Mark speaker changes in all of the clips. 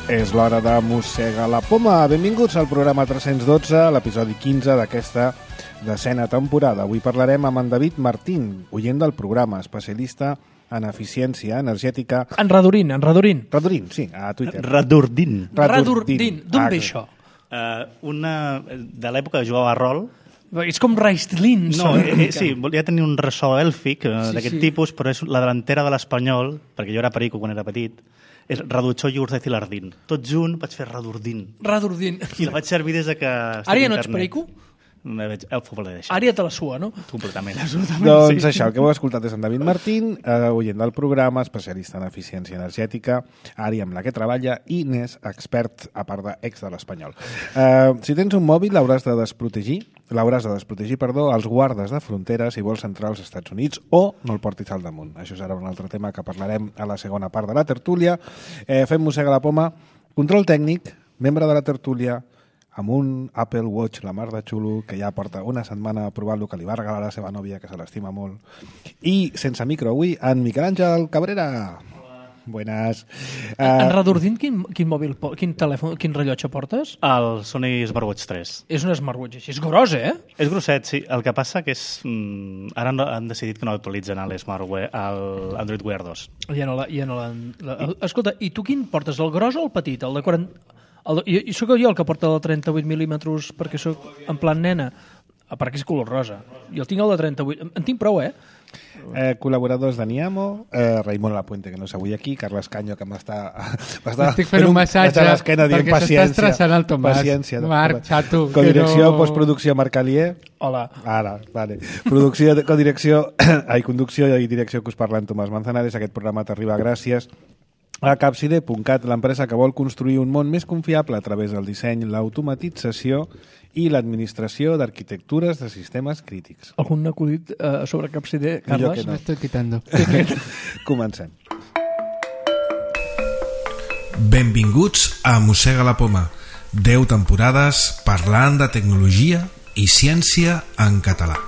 Speaker 1: És l'hora de mossegar la poma. Benvinguts al programa 312, l'episodi 15 d'aquesta decena temporada. Avui parlarem amb en David Martín, oient del programa, especialista en eficiència energètica.
Speaker 2: En Radurín.
Speaker 1: Radurín, sí, a Twitter.
Speaker 2: Radurdín. D'on ve això?
Speaker 3: De l'època que jugava a rol.
Speaker 2: És com Raistlin.
Speaker 3: No, sí, volia tenir un ressò èlfic d'aquest tipus, però és la delantera de l'Espanyol, perquè jo era perico quan era petit, és Raduchó i Urzaiz i Lardín. Tot junt vaig fer Radurdín. I la vaig servir des de que...
Speaker 2: Ara ja no ets perico?
Speaker 3: El futbol l'he deixat.
Speaker 2: Ara ja te la sua, no?
Speaker 3: Completament.
Speaker 1: Doncs sí. Això, el que heu escoltat és en David Martín, oient del programa, especialista en eficiència energètica, àrea amb la que treballa i n'és expert, a part d'ex de l'Espanyol. Si tens un mòbil l'hauràs de desprotegir, els guardes de fronteres si vols entrar als Estats Units o no el portis al damunt. Això serà un altre tema que parlarem a la segona part de la tertúlia. Fem mossega la poma, control tècnic, membre de la tertúlia, amb un Apple Watch, la mar de xulo, que ja porta una setmana a provar-lo, que li va regalar a la seva nòvia, que se l'estima molt. I, sense micro avui, en Miquel Àngel Cabrera. Buenas.
Speaker 2: En Radurdín, quin telèfon, quin rellotge portes?
Speaker 3: El Sony Smartwatch 3.
Speaker 2: És un smartwatch així, és gros, eh?
Speaker 3: És grosset, sí. El que passa que és... Ara han decidit que no actualitzen l'Android Wear 2.
Speaker 2: Ja no l'han... Escolta, i tu quin portes, el gros o el petit? El de 40... I sóc jo el que porta el de 38 mil·límetres perquè sóc en plan nena, perquè és color rosa. Jo tinc el de 38, en tinc prou,
Speaker 1: col·laboradors de Niamo, Raimon Lapuente, que no és avui aquí, Carles Canyo, que m'està
Speaker 4: estic fent un massatge perquè s'està estressant el Tomàs.
Speaker 1: Paciència.
Speaker 4: Marc, xato.
Speaker 1: Codirecció, postproducció, Marc Alier.
Speaker 2: Hola.
Speaker 1: Ara, vale. Conducció i direcció que us parla en Tomàs Manzanares. Aquest programa t'arriba gràcies a Capside.cat, l'empresa que vol construir un món més confiable a través del disseny, l'automatització i l'administració d'arquitectures de sistemes crítics.
Speaker 2: Algun acudit sobre Capside, Carles?
Speaker 4: Me estoy quitando.
Speaker 1: Comencem.
Speaker 5: Benvinguts a Mossega la Poma. 10 temporades parlant de tecnologia i ciència en català.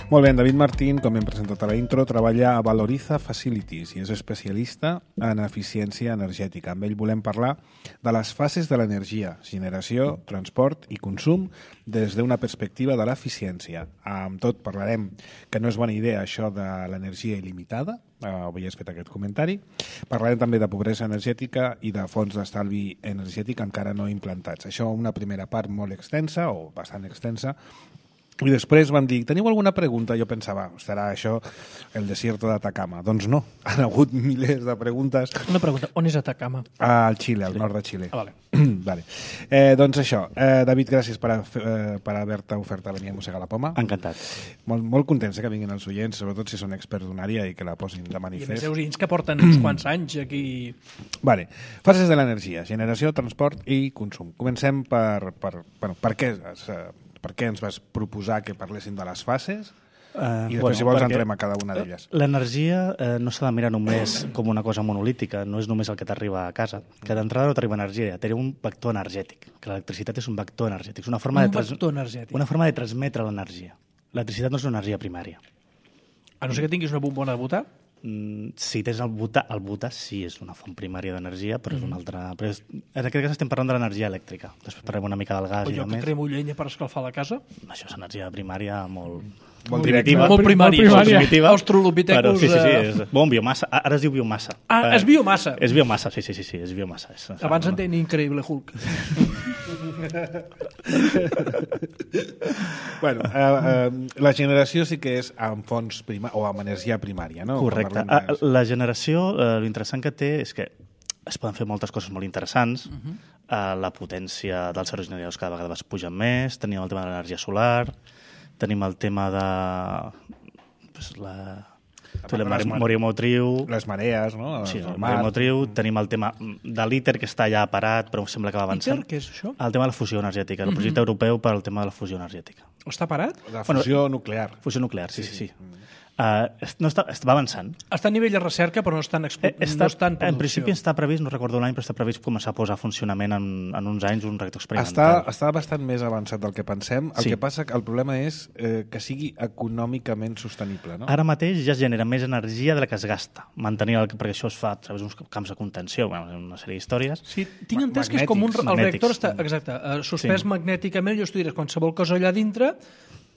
Speaker 1: Molt bé, en David Martín, com hem presentat a la intro, treballa a Valoriza Facilities i és especialista en eficiència energètica. Amb ell volem parlar de les fases de l'energia, generació, transport i consum des d'una perspectiva de l'eficiència. Amb tot parlarem que no és bona idea això de l'energia il·limitada, avui has fet aquest comentari. Parlarem també de pobresa energètica i de fons d'estalvi energètic encara no implantats. Això una primera part molt extensa, o bastant extensa. I després van dir, teniu alguna pregunta? Jo pensava, estarà això el desierto d'Atacama. Doncs no, han hagut milers de preguntes.
Speaker 2: Una pregunta, on és Atacama?
Speaker 1: Al Xile, al nord de Xile.
Speaker 2: Vale.
Speaker 1: Vale. Doncs això, David, gràcies per haver-te ofert a venir a mossegar la poma.
Speaker 3: Encantat.
Speaker 1: Molt contents que vinguin els oients, sobretot si són experts d'una àrea i que la posin de manifest.
Speaker 2: I a més, oients que porten uns quants anys aquí.
Speaker 1: Vale. Fases de l'energia, generació, transport i consum. Comencem per què ens vas proposar que parléssim de les fases i després, si vols, entrem a cada una d'elles.
Speaker 3: L'energia no s'ha de mirar només com una cosa monolítica, no és només el que t'arriba a casa, que d'entrada no t'arriba energia, té un vector energètic, que l'electricitat és un vector energètic, és una forma de transmetre l'energia. L'electricitat no és una energia primària.
Speaker 2: A no ser que tinguis una bombona de butà?
Speaker 3: Si tens el butà sí és una font primària d'energia, però és una altra... Però en aquest cas estem parlant de l'energia elèctrica. Després parlem una mica del gas i de més.
Speaker 2: O jo que cremo llenya per escalfar la casa?
Speaker 3: Això és energia primària molt
Speaker 2: primitiva. Molt primària. Australopithecus...
Speaker 3: Sí, és biomassa. Ara es diu biomassa.
Speaker 2: És biomassa?
Speaker 3: És biomassa, sí, és biomassa.
Speaker 2: Abans en tenia Increïble Hulk.
Speaker 1: Bueno, la generació sí que és amb fonts o amb energia primària, no?
Speaker 3: Correcte. La generació, l'interessant que té és que es poden fer moltes coses molt interessants. La potència dels aerogeneradors cada vegada es pugen més, tenim el tema de l'energia solar, tenim el tema de Morio Motriu.
Speaker 1: Les marees, no?
Speaker 3: Sí, el Morio Motriu. Tenim el tema de l'ITER, que està ja parat, però sembla que va avançant.
Speaker 2: ITER, què és això?
Speaker 3: El tema de la fusió energètica, el projecte europeu per al tema de la fusió energètica.
Speaker 2: Està parat?
Speaker 1: La fusió nuclear.
Speaker 3: Fusió nuclear, sí. va avançant.
Speaker 2: Està a nivell de recerca, però no està en producció.
Speaker 3: En principi està previst, no recordo l'any, però està previst començar a posar a funcionament en uns anys un reactor experimental.
Speaker 1: Està bastant més avançat del que pensem. El que passa que el problema és que sigui econòmicament sostenible. No?
Speaker 3: Ara mateix ja es genera més energia de la que es gasta. Perquè això es fa a través d'uns camps de contenció, una sèrie d'històries.
Speaker 2: Sí, tinc entès que és com el reactor està suspès magnèticament, i tu diràs qualsevol cosa allà dintre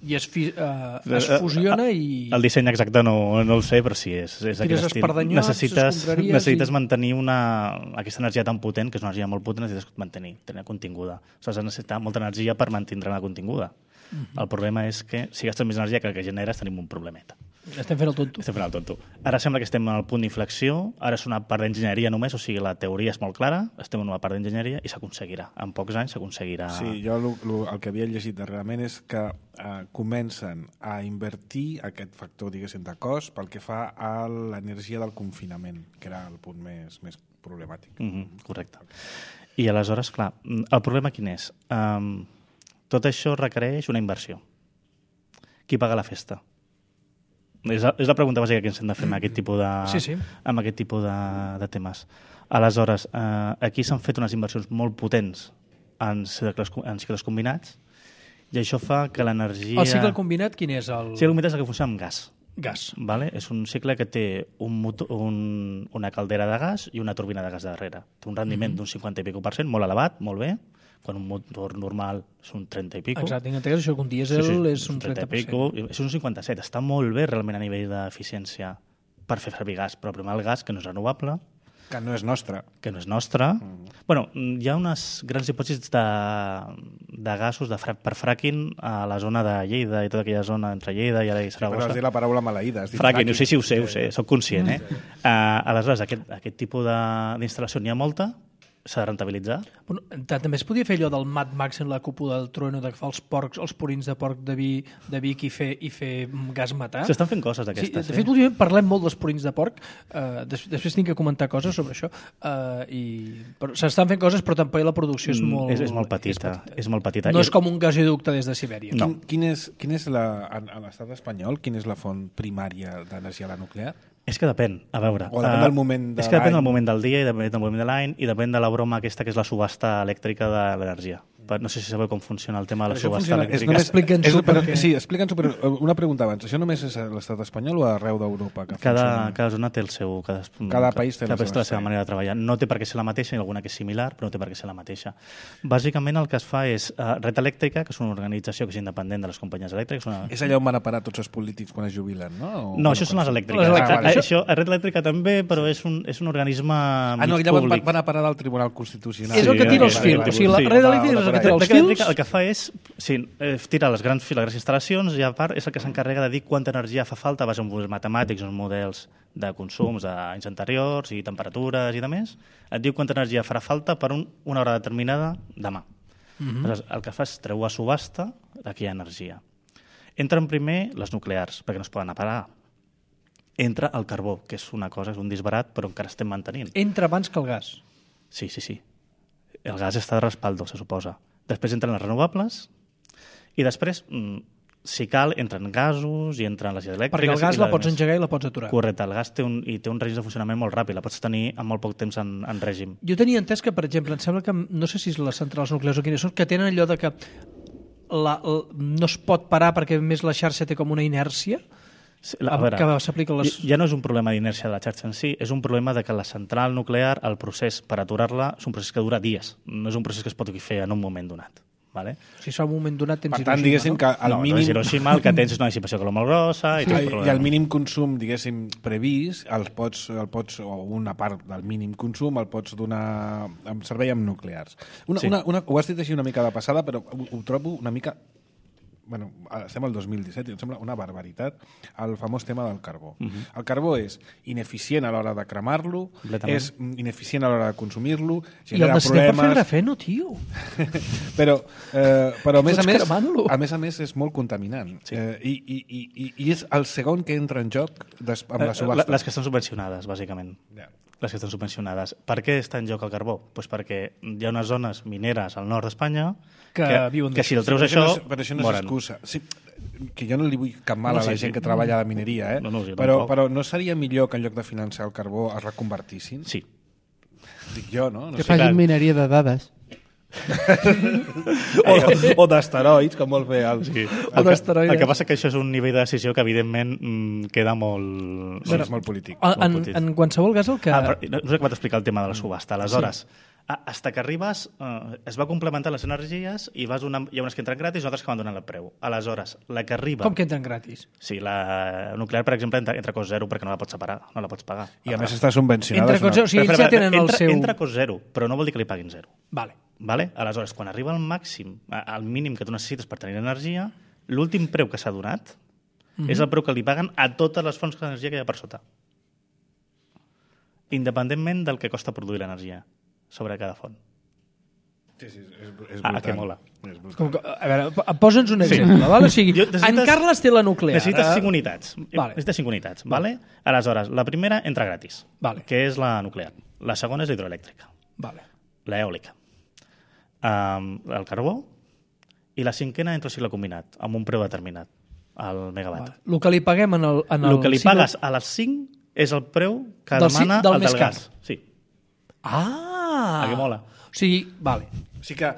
Speaker 2: i es fusiona i...
Speaker 3: El disseny exacte no el sé, però sí, és aquest estil. Necessites mantenir aquesta energia tan potent, que és una energia molt potent, necessites tenir continguda. Has de necessitar molta energia per mantenir-la continguda. El problema és que si gastes més energia que el que generes tenim un problemeta.
Speaker 2: Estem fent el tonto.
Speaker 3: Ara sembla que estem al punt d'inflexió, ara és una part d'enginyeria només, o sigui, la teoria és molt clara, estem en una part d'enginyeria i s'aconseguirà. En pocs anys s'aconseguirà...
Speaker 1: Sí, jo el que havia llegit darrerament és que comencen a invertir aquest factor, diguéssim, de cost pel que fa a l'energia del confinament, que era el punt més problemàtic.
Speaker 3: Correcte. I aleshores, clar, el problema quin és? Tot això requereix una inversió. Qui paga la festa? És la pregunta bàsica que ens hem de fer amb aquest tipus amb aquest tipus de temes. Aleshores, aquí s'han fet unes inversions molt potents en cicles combinats i això fa que l'energia...
Speaker 2: El cicle combinat quin és? El
Speaker 3: cicle combinat és el que funciona amb gas.
Speaker 2: Gas.
Speaker 3: Vale? És un cicle que té una caldera de gas i una turbina de gas darrere. Té un rendiment d'un 50 i escaig %, molt elevat, molt bé, quan un motor normal és un 30 i escaig.
Speaker 2: Exacte, tinc entès això que un dièsel és un 30%.
Speaker 3: És un 57, està molt bé realment a nivell d'eficiència per fer servir gas, però primer el gas, que no és renovable.
Speaker 1: Que no és nostre.
Speaker 3: Bueno, hi ha unes grans hipòtesis de gasos per fracking a la zona de Lleida i tota aquella zona entre Lleida i Saragossa.
Speaker 1: Però has dit la paraula maleïda.
Speaker 3: Fracking, ho sé, soc conscient. Aleshores, aquest tipus d'instal·lació n'hi ha molta, s'ha de rentabilitzar.
Speaker 2: Bueno, també es podia fer allò del Mad Max en la cúpula del trueno, d'agafar els purins de porc de Vic i fer gas metà.
Speaker 3: S'estan fent coses d'aquestes.
Speaker 2: De fet, últimament parlem molt dels purins de porc. Després tinc que comentar coses sobre això. S'estan fent coses, però també la producció és molt...
Speaker 3: És molt petita.
Speaker 2: No és com un gasoducte des de Sibèria.
Speaker 1: No. Quin és a l'estat espanyol, quina és la font primària d'energia nuclear?
Speaker 3: És que depèn, a veure.
Speaker 1: O depèn del moment de l'any.
Speaker 3: És que depèn del moment del dia i depèn del moment de l'any i depèn de la broma aquesta que és la subhasta elèctrica de l'energia. No sé si sabeu com funciona el tema de la subhasta elèctrica.
Speaker 1: Explica'ns-ho, però una pregunta abans. Això només és a l'estat espanyol o arreu d'Europa?
Speaker 3: Cada zona té el seu...
Speaker 1: Cada país té
Speaker 3: la seva manera de treballar. No té per què ser la mateixa, hi ha alguna que és similar, però no té per què ser la mateixa. Bàsicament el que es fa és Red Elèctrica, que és una organització que és independent de les companyies elèctriques.
Speaker 1: És allà on van a parar tots els polítics quan es jubilen, no?
Speaker 3: No, això són les elèctriques. Això, Red Elèctrica també, però és un organisme
Speaker 1: allà van a parar del Tribunal Constitucional.
Speaker 2: És el que tira els fils. O sigui, la Red Elèctrica és el que tira els fils.
Speaker 3: El que fa és tirar les grans instal·lacions i a part és el que s'encarrega de dir quanta energia fa falta a base de models matemàtics, uns models de consums d'anys anteriors i temperatures i demés. Et diu quanta energia farà falta per una hora determinada demà. Aleshores, el que fa és treu a subhasta d'aquella energia. Entren primer les nuclears, perquè no es poden apagar. Entra el carbó, que és una cosa, és un disbarat, però encara estem mantenint.
Speaker 2: Entra abans que el gas.
Speaker 3: Sí. El gas està de respaldo, se suposa. Després entren les renovables i després, si cal, entren gasos i entren les elèctriques.
Speaker 2: Perquè el gas la pots engegar i la pots aturar.
Speaker 3: Correcte, el gas té un règim de funcionament molt ràpid, la pots tenir en molt poc temps en règim.
Speaker 2: Jo tenia entès que, per exemple, em sembla que, no sé si és les centrals nuclears o quines són, que tenen allò de que no es pot parar perquè més la xarxa té com una inèrcia. Que s'aplica les...
Speaker 3: Ja no és un problema d'inèrcia de la xarxa en si, és un problema de que la central nuclear, el procés per aturar-la, és un procés que dura dies, no és un procés que es pot fer en un moment donat. Vale?
Speaker 2: Si es fa un moment donat tens
Speaker 1: Hiroshima. Per tant, diguéssim que al mínim...
Speaker 3: No és Hiroshima, el que tens és una dissipació que molt grossa i tot el problema.
Speaker 1: I el mínim consum, diguéssim, previst, o una part del mínim consum el pots donar en servei amb nuclears. Ho has dit així una mica de passada, però ho trobo una mica... Bueno, estem al 2017 i em sembla una barbaritat el famós tema del carbó. El carbó és ineficient a l'hora de cremar-lo, és ineficient a l'hora de consumir-lo, genera problemes...
Speaker 2: I el necessitem per fer grafeno, tio.
Speaker 1: però a més és molt contaminant. I és el segon que entra en joc amb la subhasta.
Speaker 3: Les que estan subvencionades, bàsicament. Les que estan subvencionades. Per què està en joc el carbó? Pues perquè hi ha unes zones mineres al nord d'Espanya que si el treus això...
Speaker 1: Però això no és excusa. Sí, que jo no li vull cap mal a la gent que treballa a la mineria, però no seria millor que en lloc de finançar el carbó es reconvertissin?
Speaker 3: Sí.
Speaker 1: Dic jo, no?
Speaker 4: Que facin mineria de dades.
Speaker 1: o d'esteroids, com vol fer el...
Speaker 3: Sí. El que passa que això és un nivell de decisió que evidentment queda molt...
Speaker 1: Sí, és molt polític.
Speaker 2: En qualsevol cas el que...
Speaker 3: No sé que vaig explicar el tema de la subhasta. Aleshores, hasta que arribes, es va complementar les energies i hi ha unes que entren gratis i altres que van donant el preu. Aleshores, la que arriba...
Speaker 2: Com que entren gratis?
Speaker 3: Sí, la nuclear, per exemple, entra a cost zero perquè no la pots separar, no la pots pagar.
Speaker 1: I a més està subvencionada.
Speaker 2: Entra a cost zero, o sigui, ells ja tenen el seu...
Speaker 3: Entra a cost zero, però no vol dir que li paguin zero.
Speaker 2: Vale.
Speaker 3: Aleshores, quan arriba al màxim, al mínim que tu necessites per tenir energia, l'últim preu que s'ha donat és el preu que li paguen a totes les fonts d'energia que hi ha per sota. Independentment del que costa produir l'energia sobre cada font.
Speaker 1: Sí, és brutal.
Speaker 3: Que mola.
Speaker 2: A veure, posa'ns un exemple. Val? O sigui, en Carles té la nuclear.
Speaker 3: Necessites 5 unitats. Necessites 5 unitats. Vale? Aleshores, la primera entra gratis, que és la nuclear. La segona és la hidroelèctrica. L'eòlica. El carbó, i la cinquena entra al cicle combinat, amb un preu determinat, al megawatt.
Speaker 2: El que li paguem en el
Speaker 3: el que li pagues a les 5 és el preu que demana el del gas. Sí. Que mola.
Speaker 2: O sigui, vale.
Speaker 1: O sigui que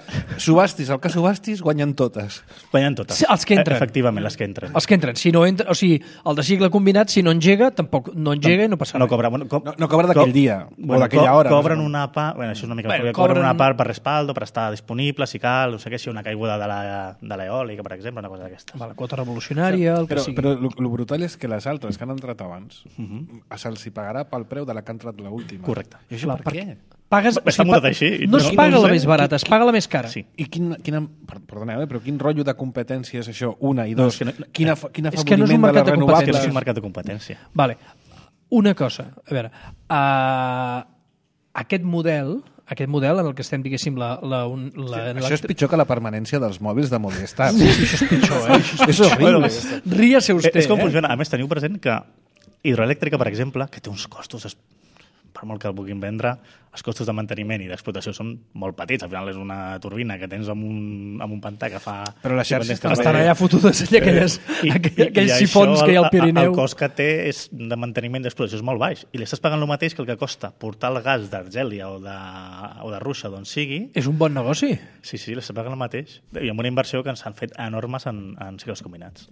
Speaker 1: subhastis el que subhastis, guanyen totes.
Speaker 3: Guanyen totes.
Speaker 2: Sí, els que entren.
Speaker 3: Efectivament, les que entren.
Speaker 2: Els que entren. Si no entra, o sigui, el de cicle combinat, si no engega, tampoc no engega i no passa res.
Speaker 1: No cobra d'aquell dia o d'aquella hora.
Speaker 3: Cobren una part, això és una mica... Cobren una part per respaldo, per estar disponible, si cal, no sé què, si una caiguda de l'eòlica, per exemple, una cosa d'aquestes.
Speaker 2: La quota revolucionària, el que sigui.
Speaker 1: Però el brutal és que les altres que han entrat abans se'ls pagarà pel preu de la que ha entrat l'última.
Speaker 3: Correcte.
Speaker 1: I això per què?
Speaker 3: Està muntat així.
Speaker 2: No es paga la més barata, es paga la més cara.
Speaker 1: Sí. I perdoneu, però quin rotllo de competència és això? Una i dos. Quin afavoriment
Speaker 2: és que no és un mercat de competència.
Speaker 3: És un mercat de competència.
Speaker 2: Vale. Una cosa, a veure, aquest model en el que estem, diguéssim,
Speaker 1: això és pitjor que la permanència dels mòbils de Movistar.
Speaker 2: Sí, això és pitjor, és horrible. Ríase vostè.
Speaker 3: És com funciona. A més, teniu present que hidroelèctrica, per exemple, que té uns costos, per molt que el puguin vendre, els costos de manteniment i d'explotació són molt petits. Al final és una turbina que tens amb un pantà que fa...
Speaker 1: Però les xarxes
Speaker 2: estan allà fotudes, aquells sifons que hi ha al Pirineu.
Speaker 3: El cost que té és de manteniment d'explotació és molt baix. I li estàs pagant el mateix que el que costa portar el gas d'Argèlia o de Rússia, d'on sigui.
Speaker 2: És un bon negoci.
Speaker 3: Sí, li estàs pagant el mateix. I amb una inversió que ens han fet enormes en cicles combinats.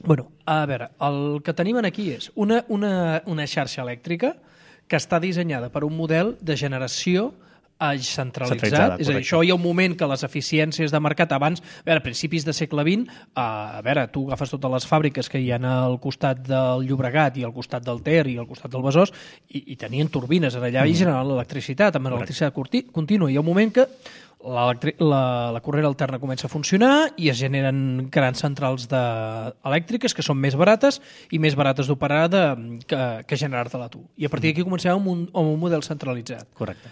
Speaker 2: Bueno, a veure, el que tenim aquí és una xarxa elèctrica que està dissenyada per un model de generació centralitzat. És a dir, això hi ha un moment que les eficiències de mercat abans, a principis de segle XX, tu agafes totes les fàbriques que hi ha al costat del Llobregat i al costat del Ter i al costat del Besòs i tenien turbines allà i generaven l'electricitat amb electricitat contínua. Hi ha un moment que la corrent alterna comença a funcionar i es generen grans centrals elèctriques que són més barates i més barates d'operar que generar-te-la tu. I a partir d'aquí comencem amb un model centralitzat.
Speaker 3: Correcte.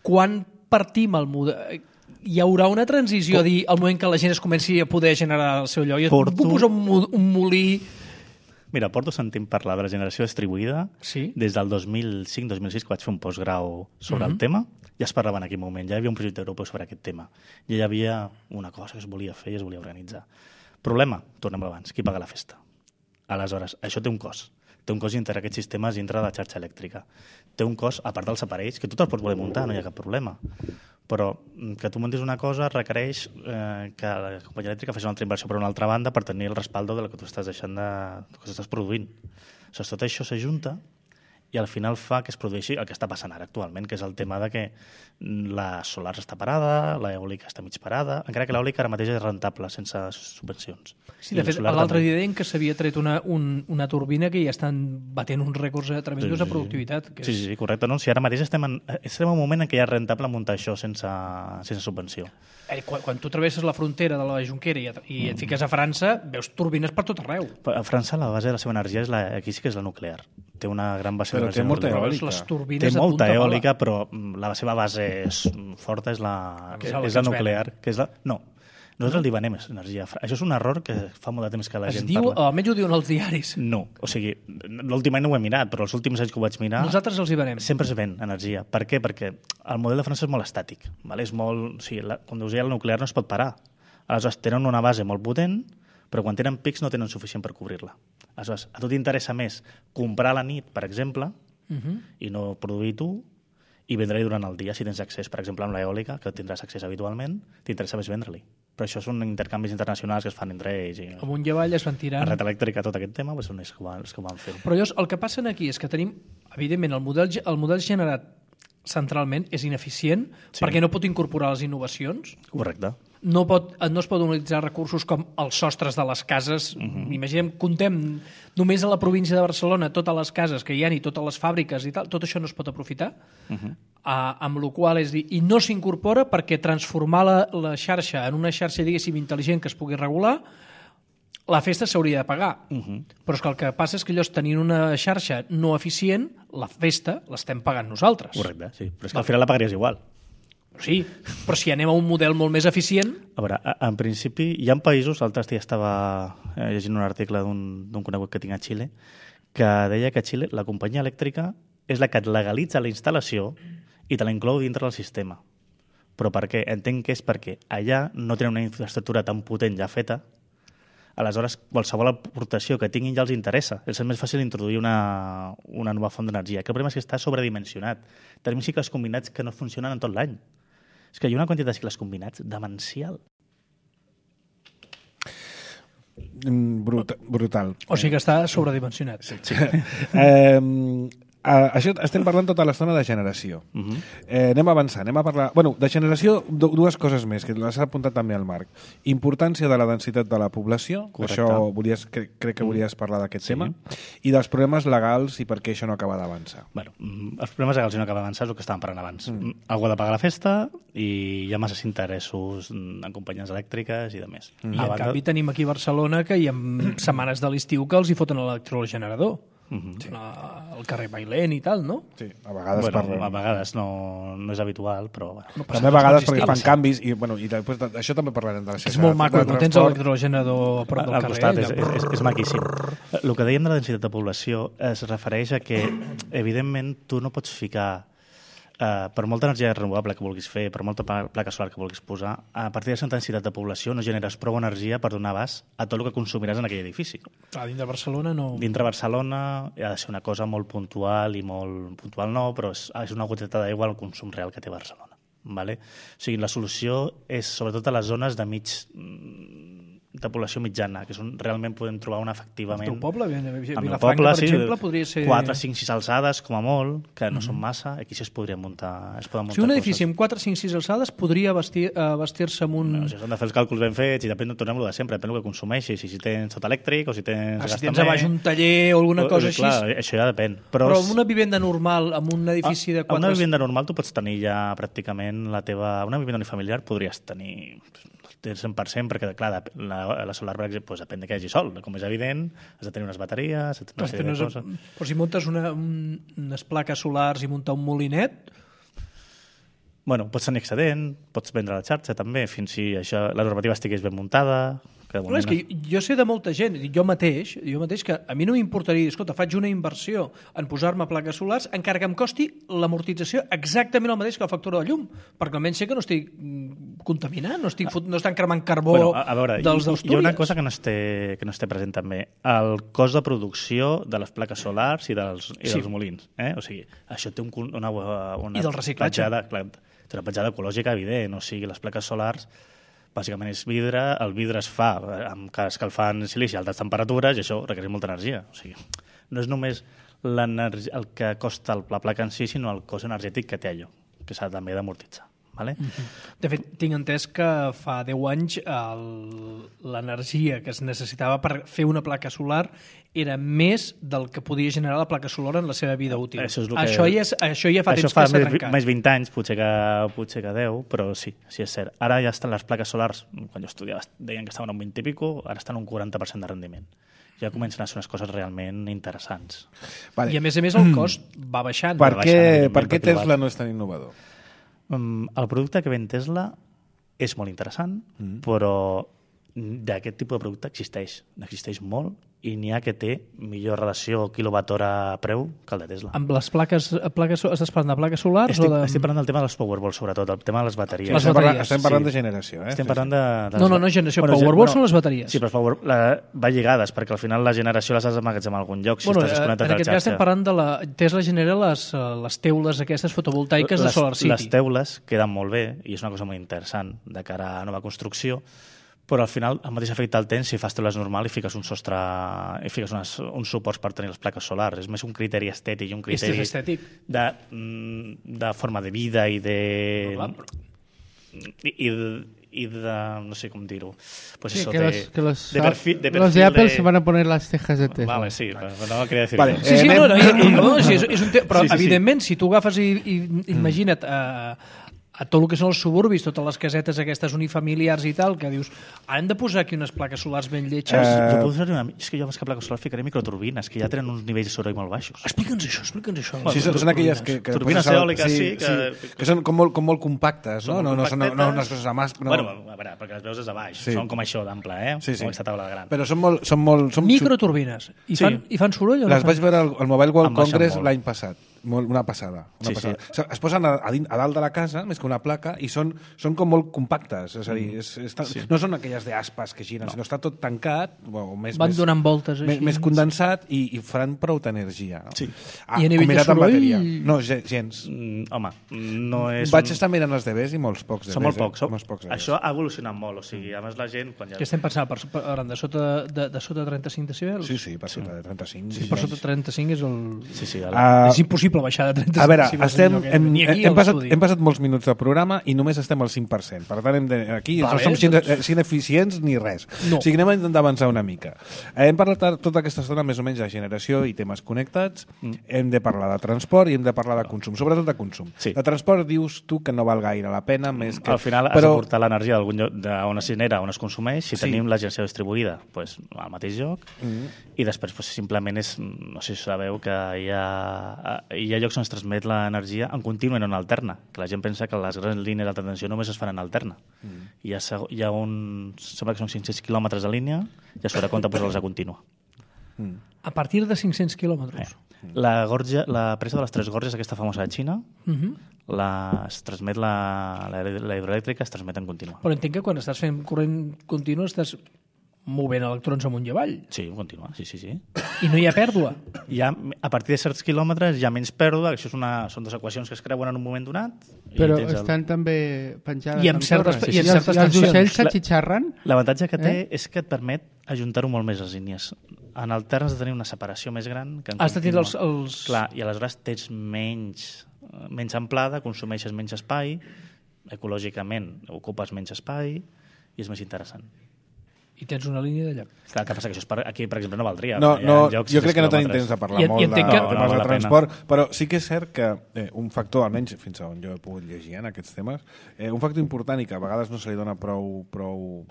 Speaker 2: Quan partim el model... Hi haurà una transició a dir el moment que la gent es comenci a poder generar el seu lloc. I puc posar un molí...
Speaker 3: Mira, porto sentint parlar de la generació distribuïda des del 2005-2006, que vaig fer un postgrau sobre el tema. Ja es parlava en aquell moment, ja hi havia un projecte europeu sobre aquest tema. Ja hi havia una cosa que es volia fer i es volia organitzar. Problema, tornem abans, qui paga la festa? Aleshores, això té un cost. Té un cost dintre aquests sistemes dintre de la xarxa elèctrica. Té un cost, a part dels aparells, que tu te'ls pots voler muntar, no hi ha cap problema. Però que tu muntis una cosa requereix que la companyia elèctrica faci una altra inversió per una altra banda per tenir el respaldo de la que tu estàs deixant que estàs produint. Tot això s'ajunta i al final fa que es produeixi el que està passant ara actualment, que és el tema de que la solar està parada, l'eòlica està mig parada, encara que l'eòlica ara mateix és rentable sense subvencions.
Speaker 2: Sí, de fet, l'altre dia deien que s'havia tret una turbina que ja estan batent uns rècords tremendos de productivitat.
Speaker 3: Sí, correcte. Si ara mateix estem en un moment en què ja és rentable muntar això sense subvenció.
Speaker 2: Quan tu travesses la frontera de la Jonquera i et fiques a França, veus turbines per tot arreu.
Speaker 3: A França la base de la seva energia aquí sí que és la nuclear. Té una gran base d'energia.
Speaker 1: Però té molta eòlica.
Speaker 3: Té molta eòlica, però la seva base forta és la nuclear. No, Nosaltres li venem energia. Això és un error que fa molt de temps que la gent
Speaker 2: parla.
Speaker 3: Almenys
Speaker 2: ho diuen els diaris.
Speaker 3: No, o sigui, l'últim any no ho he mirat, però els últims anys que ho vaig mirar...
Speaker 2: Nosaltres els hi venem.
Speaker 3: Sempre es ven energia. Per què? Perquè el model de França és molt estàtic. Vale? És molt... O sigui, quan us deia el nuclear no es pot parar. Aleshores, tenen una base molt potent, però quan tenen pics no tenen suficient per cobrir-la. Aleshores, a tu t'interessa més comprar a la nit, per exemple, i no produir tu, i vendre-li durant el dia si tens accés, per exemple, amb l'eòlica, que tindràs accés habitualment, t'interessa més vendre-li. Però això són intercanvis internacionals que es fan entre ells. I
Speaker 2: amunt i avall es van tirant.
Speaker 3: La red elèctrica, tot aquest tema, són els que ho van fer.
Speaker 2: Però llavors, el que passa aquí és que tenim, evidentment, el model generat centralment és ineficient perquè no pot incorporar les innovacions.
Speaker 3: Correcte.
Speaker 2: No es poden utilitzar recursos com els sostres de les cases. Imaginem, contem només a la província de Barcelona totes les cases que hi ha i totes les fàbriques i tal, tot això no es pot aprofitar, amb la qual és dir, i no s'incorpora perquè transformar la xarxa en una xarxa, diguéssim, intel·ligent que es pugui regular, la festa s'hauria de pagar. Però és que el que passa és que llavors tenint una xarxa no eficient, la festa l'estem pagant nosaltres.
Speaker 3: Correcte, sí. Però és que al final la pagaries igual.
Speaker 2: Sí, però si anem a un model molt més eficient...
Speaker 3: A veure, en principi, hi ha països, l'altre dia estava llegint un article d'un conegut que tinc a Xile, que deia que a Xile la companyia elèctrica és la que et legalitza la instal·lació i te la inclou dintre del sistema. Però per què? Entenc que és perquè allà no tenen una infraestructura tan potent ja feta, aleshores qualsevol aportació que tinguin ja els interessa. És més fàcil introduir una nova font d'energia. Que el problema és que està sobredimensionat. Tenim cicles combinats que no funcionen en tot l'any. És que hi ha una quantitat de cicles combinats demencial.
Speaker 1: Brutal.
Speaker 2: O sigui que està sobredimensionat.
Speaker 3: Sí.
Speaker 1: Això estem parlant tota l'estona de generació. Anem a avançar, anem a parlar... Bueno, de generació, dues coses més, que les ha apuntat també al Marc. Importància de la densitat de la població,
Speaker 3: correcte.
Speaker 1: Això crec que volies parlar d'aquest tema, i dels problemes legals i per què això no acaba d'avançar.
Speaker 3: Bueno, els problemes legals no acaba d'avançar és el que estàvem parlant abans. Algú ha de pagar la festa i hi ha masses interessos en companyies elèctriques i de més.
Speaker 2: I en canvi tenim aquí a Barcelona que hi ha setmanes de l'estiu que els hi foten l'electrogenerador. Al carrer Bailén i tal, no?
Speaker 1: Sí, a vegades
Speaker 3: a vegades no és habitual, però... Bueno.
Speaker 1: També a vegades perquè fan canvis i després això també parlarem de la xarxa.
Speaker 2: És molt maco, no tens l'electrogenerador a prop del carrer.
Speaker 3: Al costat, és maquíssim. El que dèiem de la densitat de població es refereix a que, evidentment, tu no pots ficar per molta energia renovable que vulguis fer, per molta placa solar que vulguis posar, a partir de certa densitat de població no generes prou energia per donar abast a tot el que consumiràs en aquell edifici.
Speaker 2: Dintre Barcelona no...
Speaker 3: Dintre Barcelona ha de ser una cosa molt puntual i molt puntual no, però és una goteta d'aigua al consum real que té Barcelona. Vale? O sigui, la solució és sobretot a les zones de població mitjana, que realment podem trobar una efectivament...
Speaker 2: El teu poble,
Speaker 3: Vilafranca,
Speaker 2: per exemple, podria ser...
Speaker 3: 4, 5, 6 alçades, com a molt, que no són massa, aquí es podrien muntar
Speaker 2: si un edifici amb 4, 5, 6 alçades podria vestir-se amb un...
Speaker 3: No, si s'han de fer els càlculs ben fets i depèn, tornem-lo de sempre, depèn del que consumeixis, si tens tot elèctric o si tens...
Speaker 2: Si tens a baix un taller o alguna cosa així...
Speaker 3: Clar, això ja depèn.
Speaker 2: Però amb una vivenda normal, amb un edifici de 4...
Speaker 3: Amb una vivenda normal tu pots tenir ja pràcticament la teva... Una vivenda unifamiliar podries tenir... del 100%, perquè, clar, la solar, per exemple, doncs depèn de que hi hagi sol. Com és evident, has de tenir unes bateries, has de tenir una sèrie de coses.
Speaker 2: Però si muntes unes plaques solars i muntar un molinet...
Speaker 3: Bueno, pots tenir excedent, pots vendre la xarxa, també, fins si la normativa estigués ben muntada...
Speaker 2: És que jo sé de molta gent, jo mateix, que a mi no m'importaria dir, escolta, faig una inversió en posar-me plaques solars, encara que em costi l'amortització exactament el mateix que la factura de llum, perquè almenys sé que no estic contaminant, no estan cremant carbó dels d'Astúries.
Speaker 3: Hi ha una cosa que no es té present també, el cost de producció de les plaques solars i dels molins. O sigui, això té una
Speaker 2: i del reciclatge.
Speaker 3: Té una petjada ecològica evident, o sigui, les plaques solars bàsicament és vidre, el vidre es fa escalfant silici a altes temperatures i això requereix molta energia. O sigui, no és només el que costa la placa en si, sinó el cost energètic que té allò, que s'ha també d'amortitzar. Vale?
Speaker 2: De fet, tinc entès que fa 10 anys l'energia que es necessitava per fer una placa solar era més del que podia generar la placa solar en la seva vida útil. Això ja fa temps que s'ha trencat.
Speaker 3: Més 20 anys, potser que 10, però sí és cert. Ara ja estan les plaques solars, quan jo estudiava deien que estaven a un 20 i pico, ara estan a un 40% de rendiment. Ja comencen a ser unes coses realment interessants.
Speaker 2: Vale. I a més el cost va baixant.
Speaker 1: Per què Tesla no és tan innovador?
Speaker 3: El producte que ven Tesla és molt interessant, però d'aquest tipus de producte n'existeix molt, i n'hi ha que té millor relació quilowatt-hora preu que el de Tesla.
Speaker 2: Amb les plaques estàs parlant de plaques solars?
Speaker 3: Estic parlant del tema dels Powerwall, sobretot, el tema de les bateries.
Speaker 1: Estem parlant de generació,
Speaker 3: Estem parlant de...
Speaker 2: No, generació. Powerwall són les bateries.
Speaker 3: Sí, però va lligades, perquè al final la generació les has d'emmagatzemar en algun lloc, si estàs desconnectat
Speaker 2: en
Speaker 3: de la
Speaker 2: aquest cas estem parlant de Tesla genera les teules aquestes fotovoltaiques de Solar City.
Speaker 3: Les teules queden molt bé, i és una cosa molt interessant de cara a nova construcció, però al final el mateix efecte el tens si fas teules normal i fiques un sostre i fiques uns suports per tenir les plaques solars. És més un criteri estètic i un criteri de forma de vida i de... I de... no sé com dir-ho. Pues
Speaker 4: sí,
Speaker 3: eso,
Speaker 4: que los de Apple se van a poner las cejas de Tesla.
Speaker 3: Vale, sí, no quería decir
Speaker 1: vale,
Speaker 2: però evidentment, si tu agafes i imagina't a tot el que són els suburbis, totes les casetes aquestes unifamiliars i tal, que dius, hem de posar aquí unes plaques solars ben lletges.
Speaker 3: És que jo més que plaques solars ficaré microturbines, que ja tenen uns nivells de soroll molt baixos.
Speaker 2: Explica'ns això.
Speaker 1: Sí, són aquelles que
Speaker 3: turbines eòliques, sí.
Speaker 1: Que són com molt compactes, no? No són unes coses a mà.
Speaker 3: Bueno, a veure, perquè les veus des de baix. Són com això d'ample, com aquesta taula gran.
Speaker 1: Però són molt...
Speaker 2: Microturbines. I fan soroll o no?
Speaker 1: Les vaig veure al Mobile World Congress l'any passat. Una passada. Es posen a dalt de la casa, més que una placa, i són com molt compactes. És a dir, no són aquelles d'aspas que giren, sinó està tot tancat,
Speaker 2: van donant voltes així.
Speaker 1: Més condensat i faran prou d'energia.
Speaker 3: Sí.
Speaker 2: I a nivell de soroll?
Speaker 1: No, gens.
Speaker 3: Home, no és...
Speaker 1: Vaig estar mirant els DVs i molts pocs DVs.
Speaker 3: Són molt pocs. Això ha evolucionat molt, o sigui, a més la gent...
Speaker 2: Què estem pensant? De sota 35 decibels?
Speaker 1: Sí, per sota de 35.
Speaker 2: Sí, per sota de 35 és el...
Speaker 1: És
Speaker 2: impossible baixar de 35.
Speaker 1: A veure, hem passat molts minuts de programa i només estem al 5%. Per tant, aquí no som ineficients ni res. O sigui, anem a intentar avançar una mica. Hem parlat tota aquesta estona més o menys de generació i temes connectats. Hem de parlar de transport i hem de parlar de consum, sobretot de consum. De transport dius tu que no val gaire la pena, més que...
Speaker 3: Al final has de portar l'energia d'algun lloc on es genera, on es consumeix. Si tenim la generació distribuïda, al mateix lloc. I després simplement és... No sé si sabeu que hi ha llocs on es transmet l'energia en continu i no en alterna, que la gent pensa que les grans línies d'alta tensió només es fan en alterna. Hi ha sembla que són 500 quilòmetres de línia i a sobre compte posar-les a contínua.
Speaker 2: A partir de 500 quilòmetres?
Speaker 3: La presa de les Tres Gorges, aquesta famosa de Xina, es transmet la hidroelèctrica, es transmet en contínua.
Speaker 2: Però entenc que quan estàs fent corrent continu estàs movent electrons amunt i avall.
Speaker 3: Sí, continua, sí.
Speaker 2: I no hi ha pèrdua?
Speaker 3: A partir de certs quilòmetres hi ha menys pèrdua, això són dues equacions que es creuen en un moment donat.
Speaker 4: Però estan també penjades
Speaker 2: en certes
Speaker 4: tensions. I els ocells s'atxitxarren?
Speaker 3: L'avantatge que té és que et permet ajuntar-ho molt més les línies. En altern has de tenir una separació més gran que en
Speaker 2: has de tenir
Speaker 3: Clar, i aleshores tens menys amplada, consumeixes menys espai, ecològicament ocupes menys espai i és més interessant.
Speaker 2: I tens una línia de lloc.
Speaker 3: Clar, que passa que això aquí, per exemple, no valdria.
Speaker 1: Jo crec que no tenim temps de parlar molt de temes de transport, però sí que és cert que un factor, almenys fins on jo he pogut llegir en aquests temes, un factor important i que a vegades no se li dona prou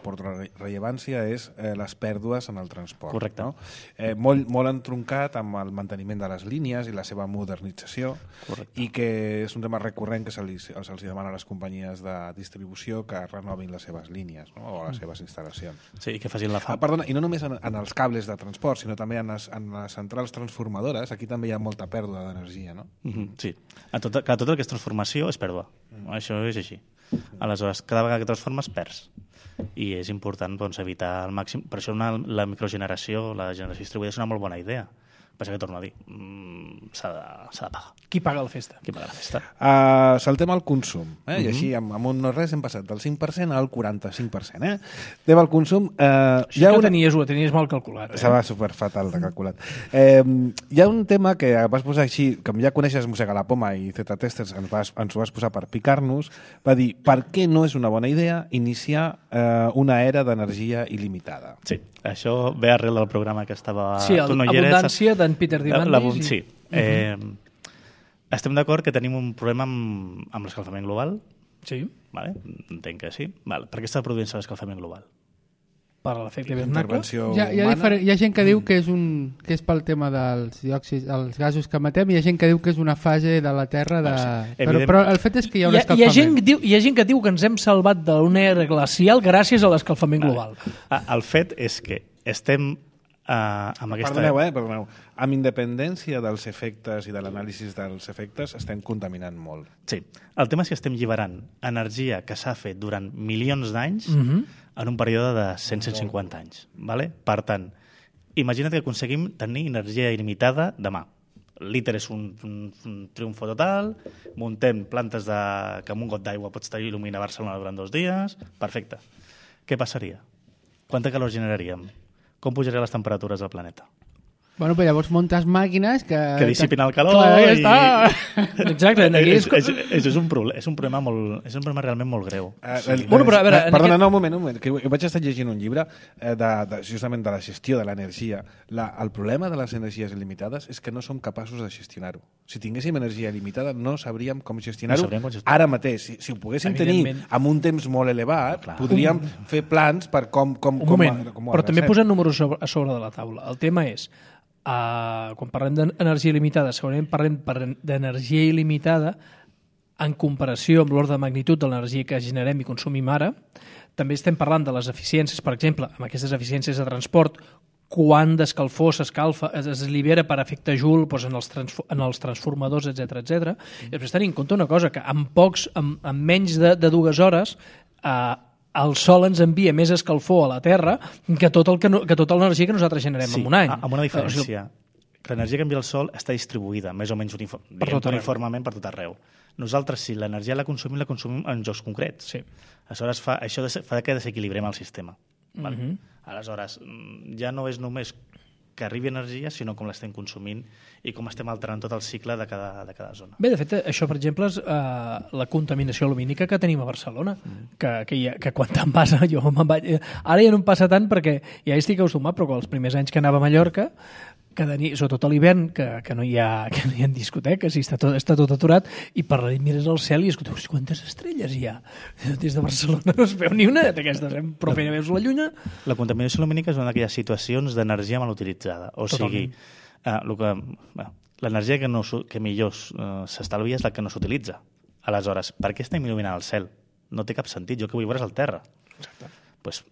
Speaker 1: rellevància és les pèrdues en el transport.
Speaker 3: Correcte.
Speaker 1: Molt entroncat amb el manteniment de les línies i la seva modernització. Correcte. I que és un tema recurrent que se'ls demana a les companyies de distribució que renovin les seves línies o les seves instal·lacions.
Speaker 3: Sí, que facin la
Speaker 1: Perdona, i no només en els cables de transport, sinó també en les centrals transformadores, aquí també hi ha molta pèrdua d'energia, no?
Speaker 3: Sí. Tot el que és transformació és pèrdua. Això és així. Aleshores, cada vegada que transformes, perds. I és important evitar al màxim... Per això la microgeneració, la generació distribuïda és una molt bona idea. Passa que torno a dir, s'ha de pagar.
Speaker 2: Qui paga la festa?
Speaker 3: Qui paga la festa?
Speaker 1: Saltem al consum. I així, amb un no res, hem passat del 5% al 45%. Anem al consum.
Speaker 2: Això ho tenies mal calculat.
Speaker 1: Estava superfatal de calculat. Hi ha un tema que vas posar així, que ja coneixes Mossega la Poma i Z-Testers, ens ho vas posar per picar-nos, va dir, per què no és una bona idea iniciar una era d'energia il·limitada?
Speaker 3: Sí, això ve arrel del programa que estava...
Speaker 2: Sí, l'abundància d'en Peter Diamandis.
Speaker 3: Sí. Estem d'acord que tenim un problema amb l'escalfament global?
Speaker 2: Sí.
Speaker 3: Vale? Entenc que sí. Vale. Per què està produint-se l'escalfament global?
Speaker 2: per l'efecte hivernacle.
Speaker 4: Hi ha gent que diu que és pel tema dels diòxids, els gasos que emetem, i hi ha gent que diu que és una fase de la Terra però el fet és que hi ha un escalfament.
Speaker 2: Hi ha gent que diu que ens hem salvat d'una era glacial gràcies a l'escalfament global.
Speaker 3: El fet és que estem amb aquesta...
Speaker 1: Perdoneu. Amb independència dels efectes i de l'anàlisi dels efectes, estem contaminant molt.
Speaker 3: Sí. El tema és que estem alliberant energia que s'ha fet durant milions d'anys en un període de 150 anys. Vale? Per tant, imagina't que aconseguim tenir energia il·limitada demà. L'ITER és un triomfo total, muntem plantes que amb un got d'aigua pots il·luminar Barcelona durant 2 dies, perfecte. Què passaria? Quanta calor generaríem? Com pujarien les temperatures del planeta?
Speaker 4: Bueno, però llavors muntes màquines que
Speaker 3: dissipin el calor.
Speaker 4: Clar, ja està.
Speaker 2: Exacte.
Speaker 3: És un problema realment molt greu.
Speaker 1: Perdona, un moment. Que vaig estar llegint un llibre justament de la gestió de l'energia. El problema de les energies il·limitades és que no som capaços de gestionar-ho. Si tinguéssim energia il·limitada no sabríem com gestionar-ho ara mateix. Si ho poguéssim tenir amb un temps molt elevat, podríem fer plans per com
Speaker 2: però també posant números a sobre de la taula. El tema és quan parlem d'energia il·limitada, segurament parlem d'energia il·limitada en comparació amb l'ordre de magnitud de l'energia que generem i consumim ara. També estem parlant de les eficiències, per exemple, amb aquestes eficiències de transport, quant d'escalfor s'escalfa, es allibera per efecte Joule en els transformadors, etc. I després tenim en compte una cosa, que en menys de 2 hores el Sol ens envia més escalfor a la Terra que tota l'energia que nosaltres generem en un any.
Speaker 3: Amb una diferència, que l'energia que envia el Sol està distribuïda més o menys uniformement per tot arreu. Nosaltres, si l'energia la consumim en jocs concrets.
Speaker 2: Sí.
Speaker 3: Aleshores, això fa que desequilibrem el sistema. Aleshores, ja no és només que arribi energia, sinó com l'estem consumint i com estem alterant tot el cicle de cada zona.
Speaker 2: Bé, de fet, això, per exemple, és la contaminació lumínica que tenim a Barcelona, que quan te'n passa, ara ja no em passa tant perquè ja hi estic acostumat, però els primers anys que anava a Mallorca, sobretot a l'hivern, que no hi ha discoteques i està tot aturat, i per la nit mires al cel i escoltes, quantes estrelles hi ha? Des de Barcelona no es veu ni una d'aquestes, però fent veus la lluna.
Speaker 3: La contaminació lumínica és una d'aquelles situacions d'energia mal utilitzada. O sigui, l'energia que millor s'estalvia és la que no s'utilitza. Aleshores, per què estem il·luminant el cel? No té cap sentit. Jo que vull veure és el terra. Exacte. Pues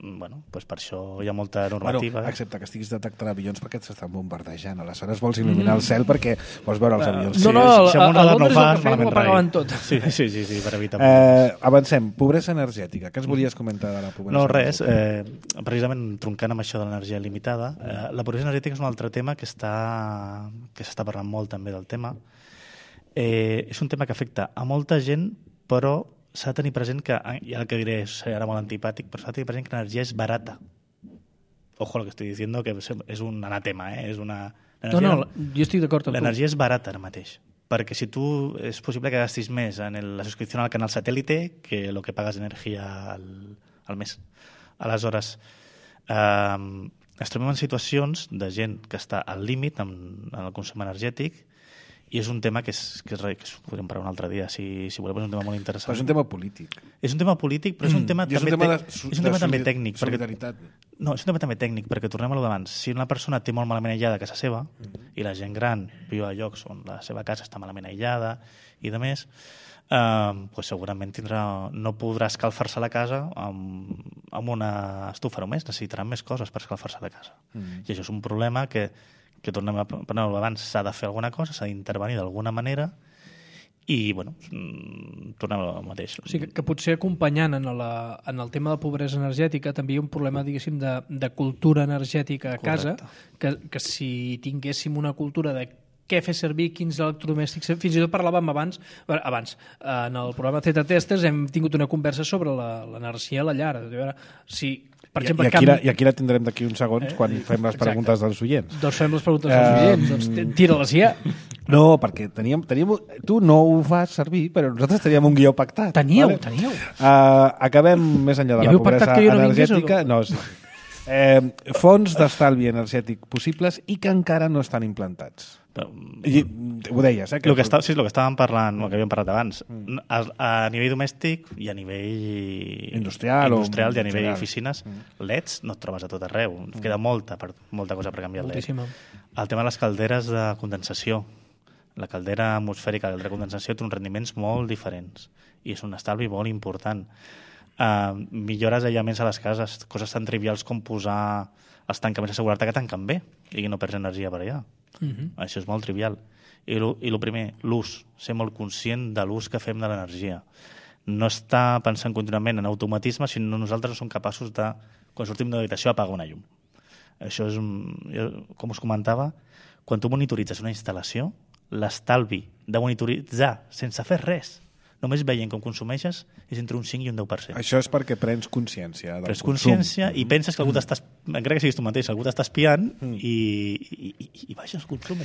Speaker 3: per això hi ha molta normativa.
Speaker 1: Excepte que estiguis detectant avions perquè s'estan bombardejant. Aleshores vols il·luminar el cel perquè vols veure els avions.
Speaker 2: A Londres ho pagaven tot.
Speaker 3: Sí, per evitar.
Speaker 1: Avancem. Pobresa energètica. Què ens volies comentar de la pobresa?
Speaker 3: No, res. Precisament troncant amb això de l'energia limitada, la pobresa energètica és un altre tema que s'està parlant molt també del tema. És un tema que afecta a molta gent, però s'ha de tenir present que, i el que diré serà molt antipàtic, però s'ha de tenir present que l'energia és barata. Ojo lo que estoy diciendo, que és un anatema, és una...
Speaker 2: jo estic d'acord amb tu.
Speaker 3: L'energia és barata ara mateix, perquè si tu és possible que gastis més en la subscripció al canal satèl·lite que el que pagues d'energia al mes. Aleshores, ens trobem en situacions de gent que està al límit en el consum energètic. I és un tema que podríem parlar un altre dia, si voleu, és un tema molt interessant.
Speaker 1: Però és un tema polític.
Speaker 3: És un tema polític, però és un tema també tècnic.
Speaker 1: Solidaritat.
Speaker 3: No, és un tema també tècnic, perquè tornem a lo d'abans. Si una persona té molt malament aïllada a casa seva, i la gent gran viu a llocs on la seva casa està malament aïllada i de més, pues segurament no podrà escalfar-se la casa amb una estufa només, necessitaran més coses per escalfar-se la casa. I això és un problema que tornem a parlar abans, s'ha de fer alguna cosa, s'ha d'intervenir d'alguna manera i, tornem al mateix.
Speaker 2: O sigui, que potser acompanyant en el tema de pobresa energètica també hi ha un problema, diguéssim, de cultura energètica a casa, que si tinguéssim una cultura de què fer servir, quins electrodomèstics... Fins i tot parlàvem abans, en el programa Zeta Testers hem tingut una conversa sobre l'energia a la llar. Per exemple,
Speaker 1: I aquí la tindrem d'aquí uns segons quan fem les preguntes dels oients.
Speaker 2: Doncs fem les preguntes dels oients. Doncs tira-les ja.
Speaker 1: No, perquè tu no ho fas servir, però nosaltres teníem un guió pactat.
Speaker 2: Teníeu.
Speaker 1: Acabem més enllà de la pobresa energètica. No, sí. Fonts d'estalvi energètic possibles i que encara no estan implantats. I ho deies,
Speaker 3: eh? El que estàvem parlant, el que havíem parlat abans, a nivell domèstic i a nivell
Speaker 1: industrial
Speaker 3: i a nivell oficines, LEDs no et trobes a tot arreu. Queda molta cosa per canviar el LED. El tema de les calderes de condensació, la caldera atmosfèrica de condensació té uns rendiments molt diferents i és un estalvi molt important. Millores aïllaments a les cases, coses tan trivials com posar els tancaments de seguretat que tanquen bé i no perds energia per allà. Això és molt trivial. I el primer, l'ús. Ser molt conscient de l'ús que fem de l'energia. No estar pensant contínuament en automatisme, sinó nosaltres no som capaços de, quan sortim de l'habitació, apagar una llum. Això és, com us comentava, quan tu monitoritzes una instal·lació, l'estalvi de monitoritzar sense fer res, només veient com consumeixes, és entre un 5 i un 10%.
Speaker 1: Això és perquè prens consciència del
Speaker 3: consum. Prens consciència i penses que algú t'està, encara que siguis tu mateix, algú t'està espiant i baixes el consum.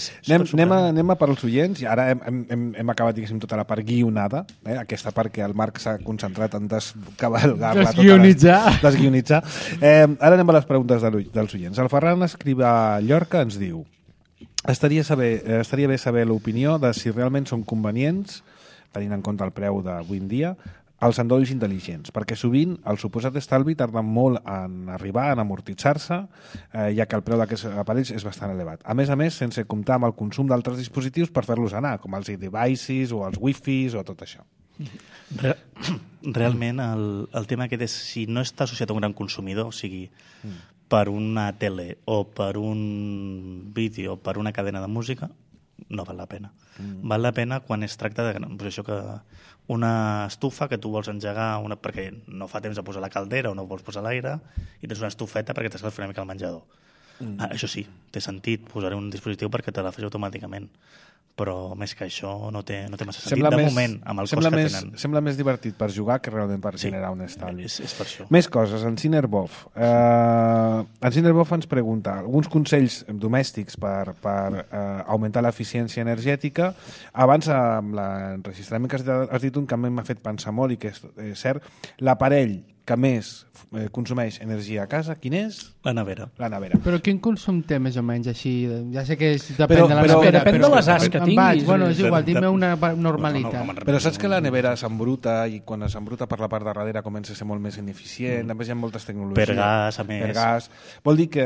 Speaker 1: Anem a per als oients, i ara hem acabat, diguéssim, tota la part guionada, aquesta part que el Marc s'ha concentrat en descavalgar-la. Desguionitzar. Ara anem a les preguntes dels oients. El Ferran Escrivà Llorca ens diu: estaria bé saber l'opinió de si realment són convenients, tenint en compte el preu d'avui en dia, els endolls intel·ligents, perquè sovint el suposat estalvi tarda molt en arribar, en amortitzar-se, ja que el preu d'aquests aparells és bastant elevat. A més, sense comptar amb el consum d'altres dispositius per fer-los anar, com els e-devices o els wifis o tot això.
Speaker 3: Realment, el tema aquest és, si no està associat a un gran consumidor, o sigui, per una tele o per un vídeo o per una cadena de música, no val la pena. Val la pena quan es tracta de això, que una estufa que tu vols engegar perquè no fa temps de posar la caldera o no vols posar l'aire i tens una estufeta perquè t'escalfi una mica el menjador. Això sí, té sentit, posaré un dispositiu perquè te la faci automàticament, però més que això no té massa sentit de moment amb el cost que tenen.
Speaker 1: Sembla més divertit per jugar que realment per generar un estalvi.
Speaker 3: És per això.
Speaker 1: Més coses. En Cinerbof ens pregunta alguns consells domèstics per augmentar l'eficiència energètica. Abans, amb l'enregistrament que has dit un que a mi m'ha fet pensar molt i que és cert, l'aparell que més consumeix energia a casa, quin és?
Speaker 3: La nevera.
Speaker 4: Però quin consum té més o menys així? Ja sé que depèn de la nevera.
Speaker 2: Depèn de les as que tinguis.
Speaker 4: Bueno, és igual, dime una normalitat.
Speaker 1: Però saps que la nevera s'embruta i quan s'embruta per la part de darrere comença a ser molt més ineficient, a més hi ha moltes tecnologies.
Speaker 3: Per gas, a més.
Speaker 1: Per gas. Vol dir que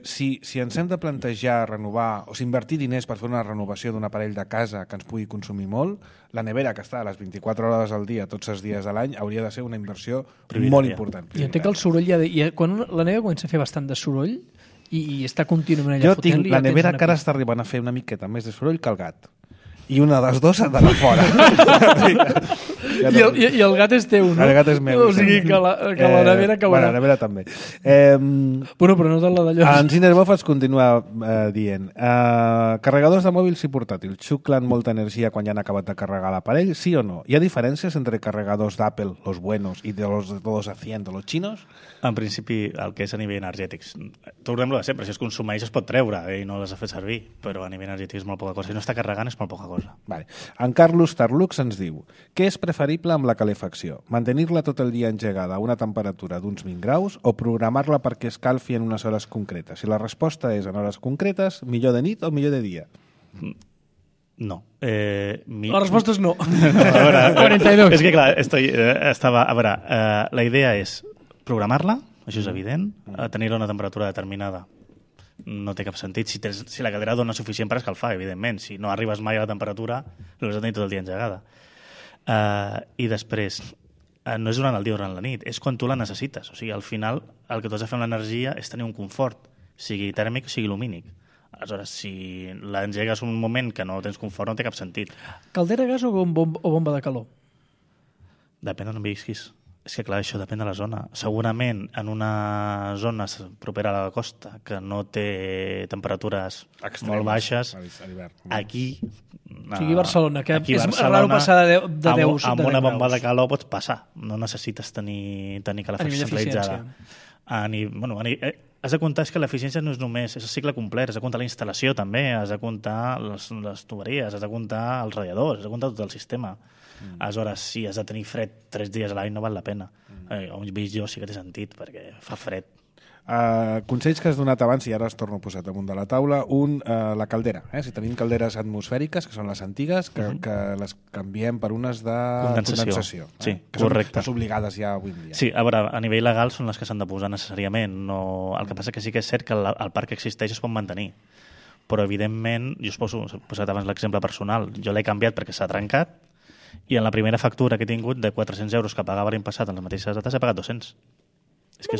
Speaker 1: si ens hem de plantejar renovar o invertir diners per fer una renovació d'un aparell de casa que ens pugui consumir molt, la nevera que està a les 24 hores al dia, tots els dies de l'any, hauria de ser una inversió molt important.
Speaker 2: Jo entenc que el soroll quan la nevera comença a fer bastant de soroll i està contínuament allà
Speaker 1: fotent-li... Jo tinc la nevera que ara està arribant a fer una miqueta més de soroll que el gat. I una de les dues ha d'anar fora.
Speaker 2: I el gat és teu, no?
Speaker 1: El gat és meu.
Speaker 2: O sigui que la nevera caurà.
Speaker 1: Bueno, la nevera també.
Speaker 2: Bueno, però no tot la d'allò.
Speaker 1: En Cinerbof es continua dient carregadors de mòbils i portàtils xuclen molta energia quan ja han acabat de carregar l'aparell, sí o no? Hi ha diferències entre carregadors d'Apple, los buenos, i de los de todos a 100, de los chinos?
Speaker 3: En principi, el que és a nivell energètic, tornem-lo de sempre, si es consumeix es pot treure i no les ha fet servir, però a nivell energètic és molt poca cosa. Si no està carregant és molt poca cosa.
Speaker 1: Vale. En Carlos Tarlux ens diu: què és preferible amb la calefacció? Mantenir-la tot el dia engegada a una temperatura d'uns 20 graus o programar-la perquè escalfi en unes hores concretes? Si la resposta és en hores concretes, millor de nit o millor de dia?
Speaker 3: No.
Speaker 2: La resposta és no.
Speaker 3: A veure,
Speaker 2: 42.
Speaker 3: És que clar, a veure, la idea és programar-la, això és evident, tenir-la a una temperatura determinada. No té cap sentit. Si la caldera dona suficient per escalfar, evidentment. Si no arribes mai a la temperatura, l'has de tenir tot el dia engegada. I després, no és durant el dia o durant la nit, és quan tu la necessites. O sigui, al final, el que tu has de fer amb l'energia és tenir un confort, sigui tèrmic o sigui lumínic. Aleshores, si l'engegues un moment que no tens confort, no té cap sentit.
Speaker 2: Caldera, gas o bomba de calor?
Speaker 3: Depèn d'on visquis. És que, clar, això depèn de la zona. Segurament, en una zona propera a la costa que no té temperatures molt baixes, aquí...
Speaker 2: O sigui, Barcelona, que és raro passar de 10
Speaker 3: amb una bomba de calor pots passar. No necessites tenir calefacció centralitzada. Has de comptar que l'eficiència no és només, és el cicle complet, has de comptar la instal·lació també, has de comptar les tuberies, has de comptar els radiadors, has de comptar tot el sistema. Aleshores, si has de tenir fred 3 dies a l'any no val la pena. On visc jo sí que té sentit, perquè fa fred.
Speaker 1: Consells que has donat abans, i ara els torno a posar damunt de la taula. La caldera. Si tenim calderes atmosfèriques, que són les antigues, que les canviem per unes de condensació.
Speaker 3: Sí,
Speaker 1: que
Speaker 3: correcte.
Speaker 1: són obligades ja avui en dia.
Speaker 3: Sí, a veure, a nivell legal són les que s'han de posar necessàriament. No... El que passa que sí que és cert que el parc que existeix es pot mantenir. Però, evidentment, jo he posat abans l'exemple personal, jo l'he canviat perquè s'ha trencat i en la primera factura que he tingut de 400 euros que pagava l'any passat en les mateixes dates he pagat 200. És que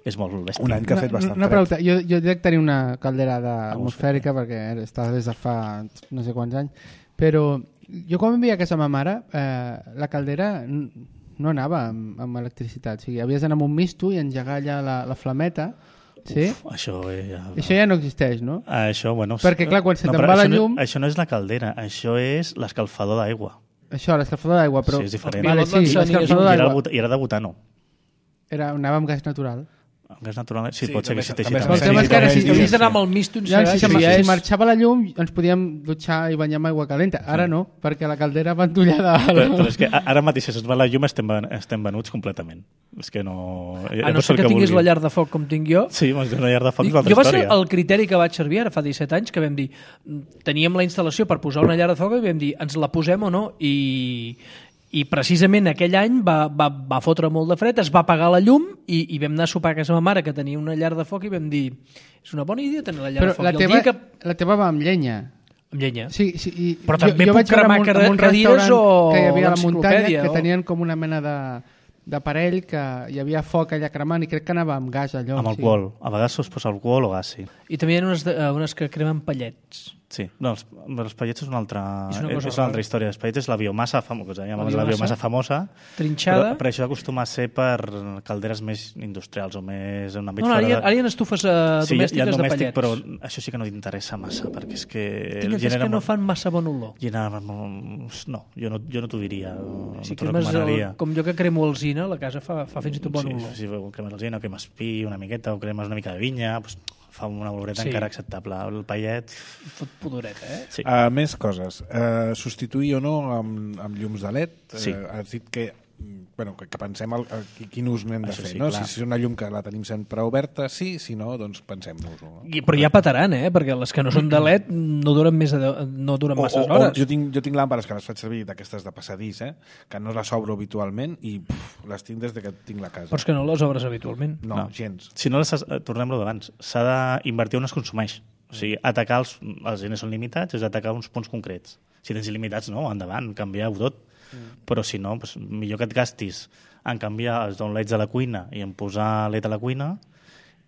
Speaker 3: és molt bèstia.
Speaker 1: Un any que ha fet bastant
Speaker 4: fred. Pregunta. Jo crec tenir una caldera atmosfèrica perquè està des de fa no sé quants anys, però jo quan vivia a casa ma mare la caldera no anava amb electricitat, o sigui, havies d'anar amb un misto i engegar allà la flameta. Sí?
Speaker 3: Això
Speaker 4: ja no existeix, no?
Speaker 3: Això, bueno...
Speaker 4: Perquè, clar, quan se te'n va la llum...
Speaker 3: Això no és la caldera, això és l'escalfador d'aigua.
Speaker 4: Això, l'escalfador d'aigua, però...
Speaker 3: Sí, és diferent.
Speaker 4: Vale, sí, l'escalfador d'aigua.
Speaker 3: I era de butano.
Speaker 4: Anava amb gas natural.
Speaker 3: Amb gas natural, sí, pot ser que existeixi.
Speaker 2: El tema és que ara si havies d'anar amb el misto
Speaker 4: si marxava la llum ens podíem dutxar i banyar amb aigua calenta. Ara no, perquè la caldera va entollada.
Speaker 3: Però és que ara mateix si es va la llum estem venuts completament. És que no...
Speaker 2: A no ser que tinguis la llar de foc com tinc jo.
Speaker 3: Sí, una llar de foc és una altra història.
Speaker 2: Jo va ser el criteri que vaig servir ara fa 17 anys, que vam dir, teníem la instal·lació per posar una llar de foc i vam dir, ens la posem o no? I precisament aquell any va fotre molt de fred, es va apagar la llum i vam anar a sopar a casa ma mare, que tenia una llar de foc, i vam dir, és una bona idea tenir la llar de foc.
Speaker 4: Però la teva va amb llenya.
Speaker 2: Amb llenya.
Speaker 4: Sí,
Speaker 2: però també puc cremar cadires o
Speaker 4: que hi havia a la muntanya, que tenien com una mena d'aparell que hi havia foc allà cremant i crec que anava amb gas allò.
Speaker 3: Amb alcohol. A vegades es posa alcohol o gas, sí.
Speaker 2: I també hi ha unes que cremen pallets.
Speaker 3: Sí, no, els pallets és una altra història. Els pallets és la biomassa famosa,
Speaker 2: trinxada.
Speaker 3: però això acostuma a ser per calderes més industrials o més en un àmbit
Speaker 2: ara hi ha estufes domèstiques de pallets.
Speaker 3: Però això sí que no t'interessa massa, perquè és que...
Speaker 2: És que no fan massa bon olor.
Speaker 3: No, jo no t'ho diria.
Speaker 2: Si cremes com jo que cremo alzina, la casa fa fins i tot bon olor.
Speaker 3: Si cremes alzina, o cremes pi una miqueta, o cremes una mica de vinya, fa una oloreta encara acceptable. El pallet...
Speaker 2: Fot pudoreta,
Speaker 3: Sí.
Speaker 1: Més coses. Substituir o no amb llums de LED?
Speaker 3: Sí.
Speaker 1: Has dit que pensem quin ús n'hem de fer.
Speaker 3: Sí,
Speaker 1: no? Si és una llum que la tenim sempre oberta, sí, si no, doncs pensem-nos-ho. No?
Speaker 2: Però ja petaran, perquè les que no són de LED no duren massa hores.
Speaker 1: Jo tinc làmpades que les faig servir d'aquestes de passadís, que no les obro habitualment i les tinc des que tinc la casa.
Speaker 2: Però és que no les obres habitualment.
Speaker 1: No, gens.
Speaker 3: Si no, tornem-lo d'abans. S'ha d'invertir on es consumeix. O sigui, atacar els diners són limitats, és atacar uns punts concrets. Si tens il·limitats, no, endavant, canvieu tot. Però si no, millor que et gastis en canviar els downlights de la cuina i en posar LED a la cuina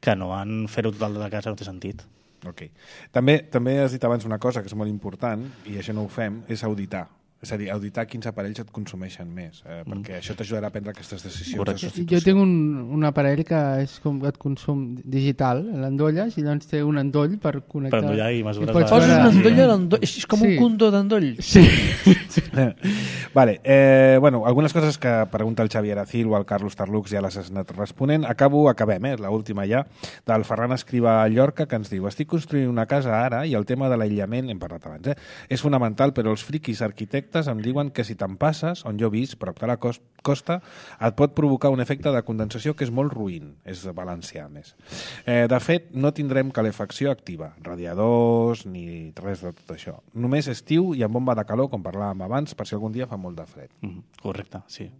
Speaker 3: que no en fer-ho tot de la casa, no té sentit.
Speaker 1: Okay. També has dit abans una cosa que és molt important, i això no ho fem, és auditar. És a dir, auditar quins aparells et consumeixen més, perquè això t'ajudarà a prendre aquestes decisions de substitució.
Speaker 4: Jo tinc un aparell que és com et consum digital, l'endolles, i llavors té un endoll per connectar.
Speaker 3: Per endollar i mesures...
Speaker 2: Poses un endoll a l'endoll, és com un condó d'endoll.
Speaker 4: Sí.
Speaker 1: Vale, algunes coses que pregunta el Xavier Acil o el Carlos Tarlux ja les has anat responent. Acabem, l'última ja, del Ferran Escrivà a Llorca, que ens diu: estic construint una casa ara i el tema de l'aïllament, hem parlat abans, és fonamental, però els friquis arquitectes em diuen que si te'n passes, on jo he vist, prop de la costa, et pot provocar un efecte de condensació que és molt ruïn. És valencià, més. De fet, no tindrem calefacció activa, radiadors, ni res de tot això. Només estiu i amb bomba de calor, com parlàvem abans, per si algun dia fa molt de fred.
Speaker 3: Correcte, sí.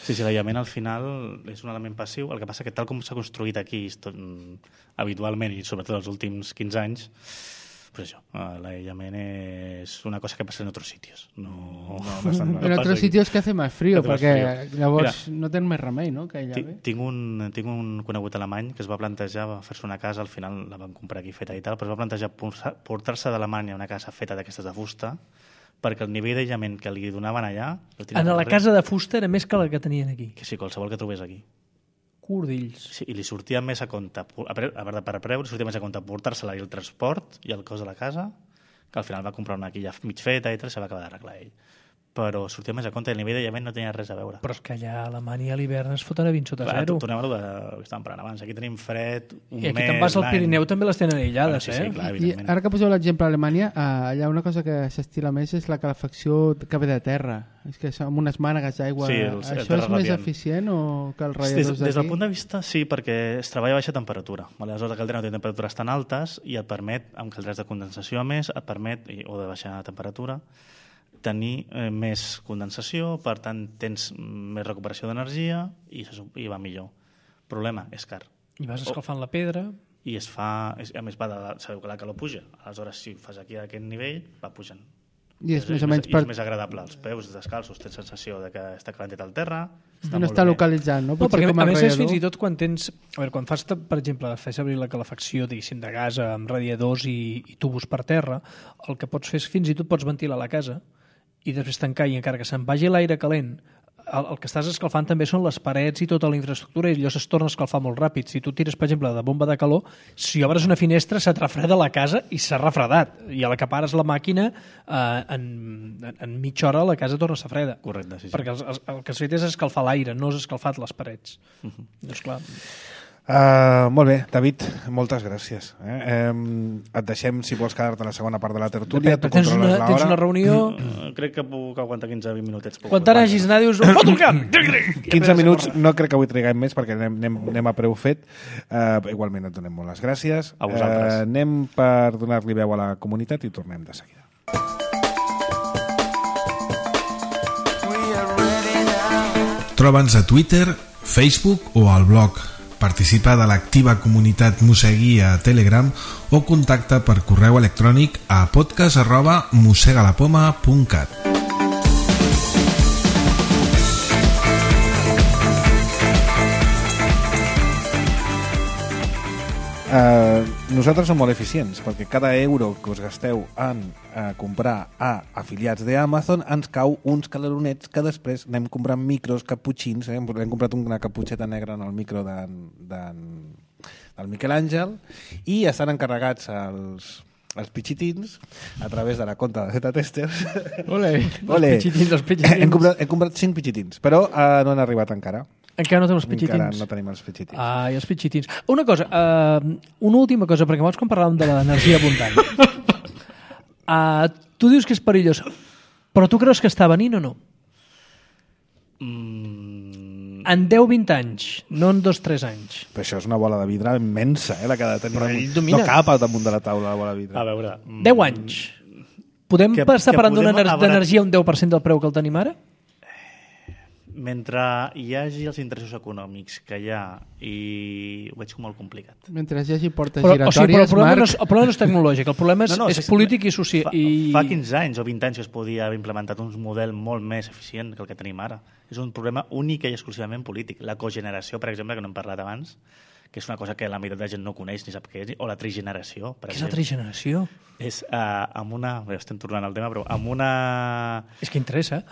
Speaker 3: Sí, l'aïllament al final és un element passiu. El que passa que tal com s'ha construït aquí habitualment, i sobretot els últims 15 anys, pues això, l'aïllament és una cosa que passa en otros sitios.
Speaker 4: En otros sitios que hace más frío, perquè llavors no tens més remei, no? Que
Speaker 3: tinc un conegut alemany que es va plantejar fer-se una casa, al final la van comprar aquí feta i tal, però es va plantejar portar-se d'Alemanya una casa feta d'aquestes de fusta, perquè el nivell d'aïllament que li donaven allà...
Speaker 2: En la casa de fusta era més que la que tenien aquí.
Speaker 3: Que sí, qualsevol que trobés aquí.
Speaker 2: Cordills.
Speaker 3: Sí, i li sortia més a compte, per preu, li sortia més a compte portar-se-la i el transport i el cost de la casa, que al final va comprar una quilla mig feta i tal, se va acabar d'arreglar ell. però sortia més a compte i el nivell d'aïllament no tenia res a veure.
Speaker 2: Però és que allà a Alemanya a l'hivern es foten a 20 sota
Speaker 3: Clar,
Speaker 2: zero.
Speaker 3: tornem a lo que estàvem parlant abans. Aquí tenim fred, un mes...
Speaker 2: I aquí te'n vas al Pirineu també les tenen aïllades,
Speaker 3: sí, clar,
Speaker 4: I
Speaker 3: evidentment.
Speaker 4: ara que poseu l'exemple a Alemanya, allà una cosa que s'estila més és la calefacció que ve de terra. És que amb unes mànegues d'aigua...
Speaker 3: Sí,
Speaker 4: això és més eficient o que els radiadors d'aquí?
Speaker 3: Des del punt de vista, sí, perquè es treballa a baixa temperatura. Aleshores, la caldera no té temperatures tan altes i et permet, amb caldres de condensació a més, et permet, o de baixa temperatura, tenir més condensació, per tant tens més recuperació d'energia i va millor. Problema, és car.
Speaker 2: I vas escalfant la pedra...
Speaker 3: I es fa... A més, sabeu que la calor puja. Aleshores, si ho fas aquí a aquest nivell, va pujant.
Speaker 4: I és més o menys
Speaker 3: és més agradable. Els peus descalços tens sensació de que està calentet al terra.
Speaker 4: No està localitzant, no?
Speaker 2: No, perquè a més és fins i tot quan tens... A veure, quan fas, per exemple, fas servir la calefacció, diguéssim, de gas amb radiadors i tubos per terra, el que pots fer és fins i tot pots ventilar la casa i després tancar, i encara que se'n vagi l'aire calent, el que estàs escalfant també són les parets i tota la infraestructura, i allò es torna a escalfar molt ràpid. Si tu tires, per exemple, de bomba de calor, si obres una finestra se't refreda la casa i s'ha refredat, i a la que pares la màquina en mitja hora la casa torna a estar freda.
Speaker 3: Correcte, sí.
Speaker 2: Perquè el que has fet és escalfar l'aire, no has escalfat les parets. Doncs clar...
Speaker 1: Molt bé, David, moltes gràcies. Et deixem, si vols quedar-te a la segona part de la tertúlia.
Speaker 2: Tens una reunió...
Speaker 3: Crec que puc aguantar 15-20 minutets.
Speaker 2: Quan te n'hagis anar, dius... Foto el camp!
Speaker 1: 15 minuts, no crec que avui triguem més perquè anem a preu fet. Igualment et donem molt les gràcies.
Speaker 3: A vosaltres.
Speaker 1: Anem per donar-li veu a la comunitat i tornem de seguida.
Speaker 5: Troba'ns a Twitter, Facebook o al blog. Participa de l'activa comunitat Mosegui a Telegram o contacta per correu electrònic a podcast@mosegalapoma.cat.
Speaker 1: Nosaltres som molt eficients perquè cada euro que us gasteu en comprar a afiliats d'Amazon ens cau uns caloronets que després anem comprant micros caputxins. Hem comprat una caputxeta negra en el micro del Miquel Àngel i estan encarregats els pitxitins a través de la compta de Z-Testers.
Speaker 4: Ole.
Speaker 2: Els pitxitins.
Speaker 1: Hem comprat 5 pitxitins, però no han arribat encara.
Speaker 2: Encara no tenim els pitxitins.
Speaker 1: Encara no tenim els pitxitins.
Speaker 2: I els pitxitins. Una cosa, una última cosa, perquè abans quan parlàvem de l'energia abundant. Tu dius que és perillós, però tu creus que està venint o no? En 10-20 anys, no en 2-3 anys.
Speaker 1: Però això és una bola de vidre immensa, la que ha de tenir.
Speaker 2: Però ell domina.
Speaker 1: No cap al damunt de la taula la bola de vidre.
Speaker 3: A veure...
Speaker 2: 10 anys. Podem estar parlant d'energia un 10% del preu que el tenim ara?
Speaker 3: Mentre hi hagi els interessos econòmics que hi ha, i ho veig com molt complicat.
Speaker 4: Mentre hi hagi portes giratòries,
Speaker 2: Marc... el problema no és tecnològic, el problema és polític i social.
Speaker 3: Fa 15 anys o 20 anys que es podia haver implementat un model molt més eficient que el que tenim ara. És un problema únic i exclusivament polític. La cogeneració, per exemple, que no hem parlat abans, que és una cosa que la meitat de gent no coneix ni sap què és, o la trigeneració.
Speaker 2: Què és la trigeneració?
Speaker 3: És amb una... Estem tornant al tema, però amb una...
Speaker 2: És que interessa.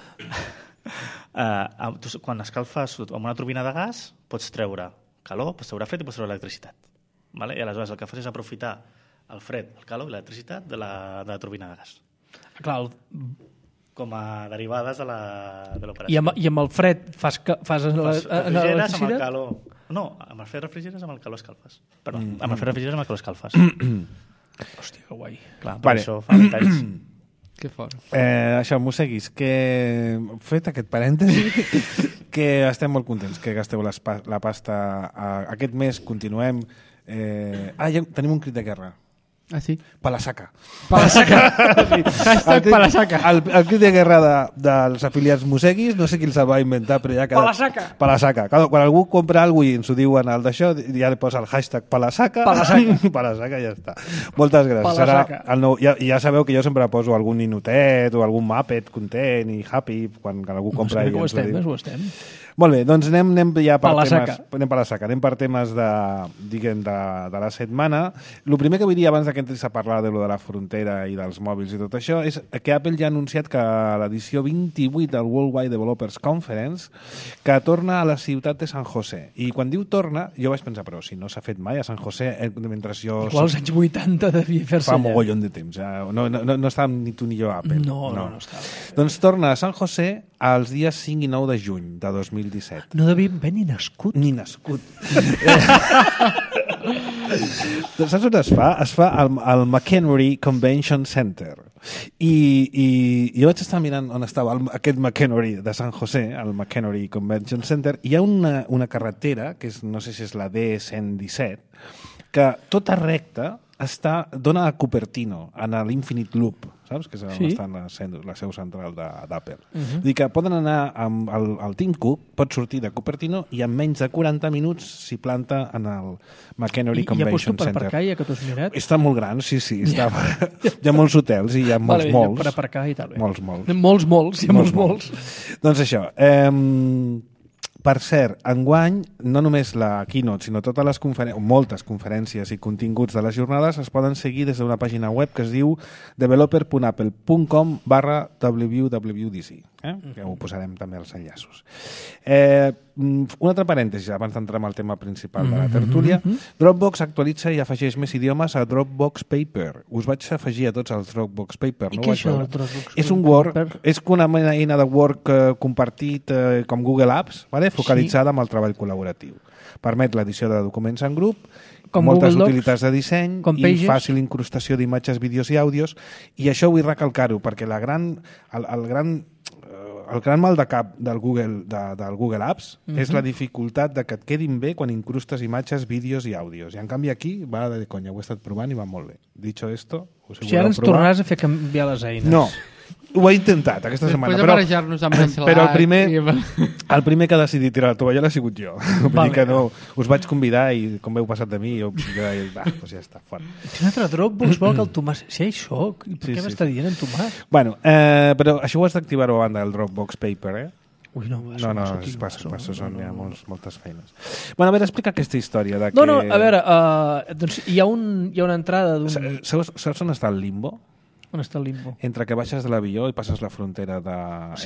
Speaker 3: Quan escalfes amb una turbina de gas pots treure calor, pots treure fred i pots treure electricitat, vale? I aleshores el que fas és aprofitar el fred, el calor i l'electricitat de la turbina de gas.
Speaker 2: Clar,
Speaker 3: com a derivades de l'operació.
Speaker 2: I amb el fred fas
Speaker 3: refrigeres amb el calor. No, amb el fred refrigeres, amb el calor escalfes. Perdó, amb el fred refrigeres, amb el calor escalfes.
Speaker 2: Hòstia, que guai.
Speaker 3: Clar, per això fa 20 anys.
Speaker 4: Que fort.
Speaker 1: Això, Moseguis, que fet aquest parèntesi, que estem molt contents que gasteu la pasta. Aquest mes continuem... ja tenim un crit de guerra.
Speaker 4: Ah, sí?
Speaker 1: Palasaca.
Speaker 4: Palasaca. Hashtag Palasaca.
Speaker 1: El crit de guerra dels afiliats Moseguis, no sé qui els va inventar, però ja...
Speaker 2: Palasaca.
Speaker 1: Palasaca. Quan algú compra alguna cosa i ens ho diuen al d'això, ja li posa el hashtag Palasaca.
Speaker 2: Palasaca.
Speaker 1: Palasaca, ja està. Moltes gràcies. Ja sabeu que jo sempre poso algun ninotet o algun Muppet content i happy quan algú compra i ens ho diu.
Speaker 2: Ho estem.
Speaker 1: Molt bé, doncs anem ja per
Speaker 2: Palasaca.
Speaker 1: temes... Anem per la saca. Anem per temes de la setmana. El primer que vull dir abans que entris a parlar de lo de la frontera i dels mòbils i tot això, és que Apple ja ha anunciat que a l'edició 28 del Worldwide Developers Conference que torna a la ciutat de San José. I quan diu torna, jo vaig pensar, però si no s'ha fet mai a San José, mentre jo...
Speaker 2: Igual als anys 80 devia fer-se
Speaker 1: fa mogollon de temps. No estàvem ni tu ni jo a Apple.
Speaker 2: No estava.
Speaker 1: Doncs torna a San José els dies 5 i 9 de juny de 2017.
Speaker 2: No devia haver ni nascut.
Speaker 1: Ni nascut. Doncs saps on es fa? Es fa al McHenry Convention Center. I jo vaig estar mirant on estava aquest McHenry de San José, el McHenry Convention Center, i hi ha una carretera, que no sé si és la D117, que tota recta dona a Cupertino, en l'Infinite Loop, saps? Que és on està la seu central d'Apple. Vull dir que poden anar amb el Tim Cook, pot sortir de Cupertino i en menys de 40 minuts s'hi planta en el McHenry Convention Center.
Speaker 2: I hi ha lloc per aparcar, ja que t'ho has mirat?
Speaker 1: Està molt gran, sí. Hi ha molts hotels i hi ha molts.
Speaker 2: Per aparcar i tal.
Speaker 1: Molts.
Speaker 2: Hi ha molts.
Speaker 1: Doncs això, per cert, enguany, no només la keynote, sinó totes les moltes conferències i continguts de les jornades es poden seguir des d'una pàgina web que es diu developer.apple.com/wwdc. Que ho posarem també als enllaços. Un altre parèntesi, abans d'entrar en el tema principal de la tertúlia. Dropbox actualitza i afegeix més idiomes a Dropbox Paper. Us vaig afegir a tots els Dropbox Paper.
Speaker 2: I què és això del Dropbox Paper?
Speaker 1: És un Word, és una eina de Word compartit com Google Apps, focalitzada amb el treball col·laboratiu. Permet l'edició de documents en grup, moltes utilitats de disseny i fàcil incrustació d'imatges, vídeos i àudios, i això vull recalcar-ho, perquè el gran mal de cap del Google Apps és la dificultat de que et quedin bé quan incrustes imatges, vídeos i àudios. I en canvi aquí va de conya, ho he estat provant i va molt bé. Dicho esto,
Speaker 2: si ara ens tornaràs a fer canviar les eines.
Speaker 1: No, ho he intentat aquesta setmana.
Speaker 4: Després de marejar-nos amb el
Speaker 1: però el primer que ha decidit tirar la tovallola ha sigut jo. Vull dir que no, us vaig convidar i com heu passat de mi, doncs ja està, fora.
Speaker 2: Un altre Dropbox vol que el Tomàs... Sí, això, per què m'està dient en Tomàs?
Speaker 1: Bueno, però això ho has d'activar-ho a banda del Dropbox Paper,
Speaker 2: Ui, no,
Speaker 1: són ja moltes feines. Bueno, a veure, explica aquesta història de que...
Speaker 2: No, a veure, doncs hi ha una entrada d'un...
Speaker 1: Saps on està el limbo?
Speaker 2: On està el limbo?
Speaker 1: Entre que baixes de l'avió i passes la frontera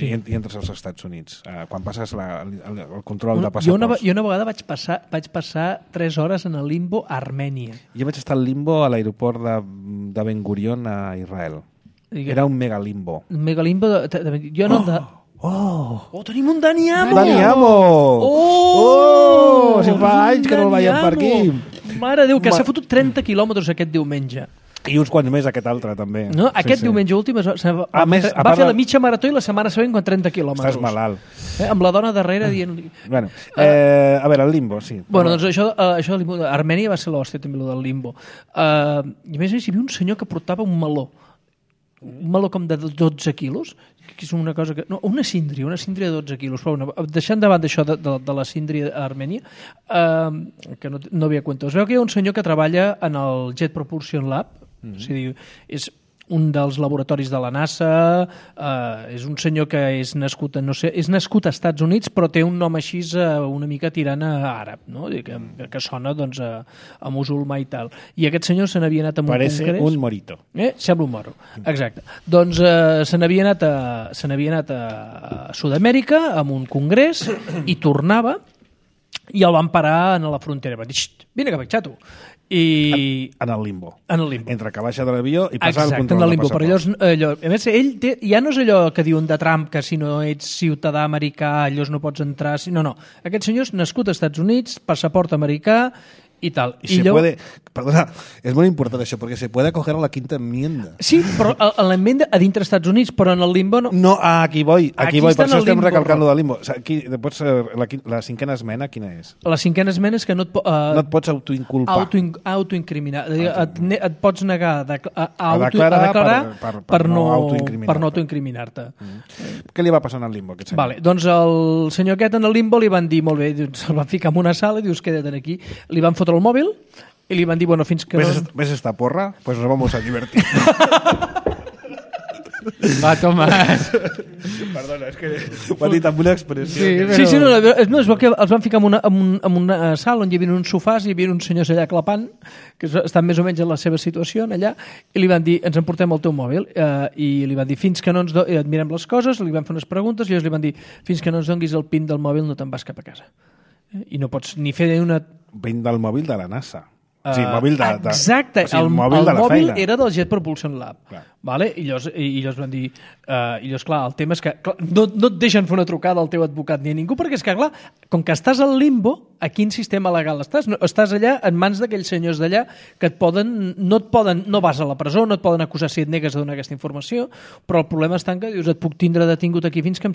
Speaker 1: i entres als Estats Units. Quan passes el control de passaports.
Speaker 2: Jo una vegada vaig passar 3 hores en el limbo a Armènia.
Speaker 1: Jo vaig estar al limbo a l'aeroport de Ben Gurion a Israel. Era un megalimbo.
Speaker 2: Un megalimbo jo no... Oh, tenim un Dani Amo!
Speaker 1: Dani Amo! Si fa anys que no el veiem per aquí.
Speaker 2: Mare de Déu, que s'ha fotut 30 quilòmetres aquest diumenge.
Speaker 1: I uns quants més aquest altre, també.
Speaker 2: No, aquest diumenge últim va fer la mitja marató i la setmana següent quan 30 quilòmetres.
Speaker 1: Estàs malalt.
Speaker 2: Amb la dona darrere dient-li...
Speaker 1: Bueno, a veure, el limbo, sí.
Speaker 2: Bueno, doncs això del limbo... Armènia va ser l'hòstia, també, el del limbo. I a més, hi havia un senyor que portava un meló com de 12 quilos, que és una cosa que... No, una síndria de 12 quilos. Però deixant davant d'això de la síndria a Armènia, que no havia cuento. Es veu que hi ha un senyor que treballa en el Jet Propulsion Lab, o sigui, és un dels laboratoris de la NASA, és un senyor que és nascut a Estats Units, però té un nom així una mica tirant a àrab, no? Que sona doncs, a musulmà i tal. I aquest senyor se n'havia anat a un congrés...
Speaker 1: Parece un morito.
Speaker 2: Sembla un moro, exacte. Doncs se n'havia anat a Sud-amèrica amb un congrés i tornava i el van parar a la frontera. Va dir, vine cap, xato.
Speaker 1: En el limbo. Entre que baixa de l'avió i passar el control de passaports.
Speaker 2: A més, ell ja no és allò que diuen de Trump, que si no ets ciutadà americà, allòs no pots entrar... No. Aquest senyor és nascut als Estats Units, passaport americà i tal.
Speaker 1: Perdona, és molt important això, perquè se puede acoger a la quinta enmienda.
Speaker 2: Sí, però a l'enmienda a dintre Estats Units, però en el limbo no.
Speaker 1: No, aquí voy, per això estem recalcant lo del limbo. La cinquena esmena, quina és?
Speaker 2: La cinquena esmena és que no
Speaker 1: et pots autoinculpar.
Speaker 2: Autoincriminar. Et pots negar a declarar per no autoincriminar-te.
Speaker 1: Què li va passar en el limbo, aquest senyor?
Speaker 2: Vale, doncs el senyor aquest en el limbo li van dir, molt bé, se'l van ficar en una sala i dius, queda't aquí. Li van fotre el mòbil i li van dir, bueno, fins que...
Speaker 1: ¿Ves esta porra? Pues nos vamos a divertir.
Speaker 4: Va, Tomàs.
Speaker 1: Perdona, és que ho ha dit amb una expressió.
Speaker 4: Sí, però...
Speaker 2: Sí, no, és bo que els van ficar en una sala on hi havia uns sofàs i hi havia uns senyors allà clapant, que estan més o menys en la seva situació allà, i li van dir, ens emportem el teu mòbil, i li van dir, fins que no ens et mirem les coses, li van fer unes preguntes, i llavors li van dir, fins que no ens donguis el PIN del mòbil no te'n vas cap a casa. I no pots ni fer una...
Speaker 1: PIN del mòbil de la NASA. Sí, mòbil de...
Speaker 2: Exacte,
Speaker 1: o sigui, el mòbil de la
Speaker 2: mòbil
Speaker 1: feina.
Speaker 2: era del Jet Propulsion Lab.
Speaker 1: Clar.
Speaker 2: Vale? I llavors van dir... I llavors, clar, el tema és que no et deixen fer una trucada al teu advocat ni a ningú, perquè és que, clar, com que estàs al limbo, a quin sistema legal estàs? No, estàs allà en mans d'aquells senyors d'allà que no vas a la presó, no et poden acusar si et negues a donar aquesta informació, però el problema està en que dius, et puc tindre detingut aquí fins que em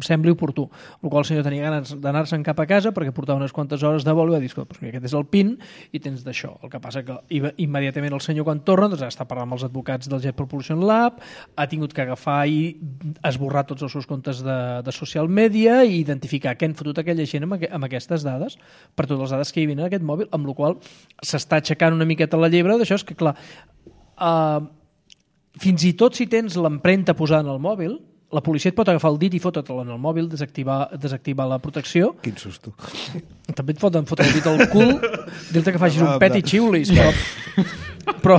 Speaker 2: sembli oportú. El qual el senyor tenia ganes d'anar-se'n cap a casa perquè portava unes quantes hores de vol i va dir, escolta, doncs aquest és el PIN i tens d'això. El que passa que immediatament el senyor quan torna doncs, està parlant amb els advocats del Jet Propulsion Lab, ha tingut que agafar i esborrar tots els seus comptes de social media i identificar què han fotut aquella gent amb aquestes dades, per totes les dades que hi havia en aquest mòbil, amb la qual s'està aixecant una miqueta la llebre d'això, és que clar, fins i tot si tens l'empremta posada en el mòbil, la policia et pot agafar el dit i fotre-te'l en el mòbil, desactivar la protecció.
Speaker 1: Quin susto.
Speaker 2: També et foten fotre el dit al cul, dir-te que facis un pet i xiulis, però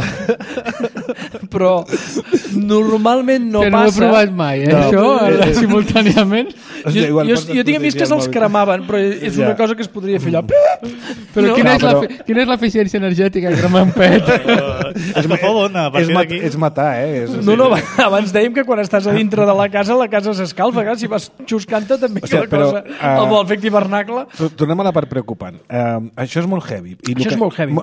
Speaker 2: normalment no
Speaker 4: que
Speaker 2: passa.
Speaker 4: no ho he provat mai, això, simultàniament.
Speaker 2: Jo tinc amics que se'ls cremaven, però és una cosa que es podria fer allò.
Speaker 4: Però quina és l'eficiència energètica de cremar un pet?
Speaker 1: És matar,
Speaker 2: No, abans dèiem que quan estàs a dintre de la casa s'escalfa, si vas xuscant-te també el efecte hivernacle.
Speaker 1: Tornem a la part preocupant. Això és molt heavy.
Speaker 2: Això és molt heavy.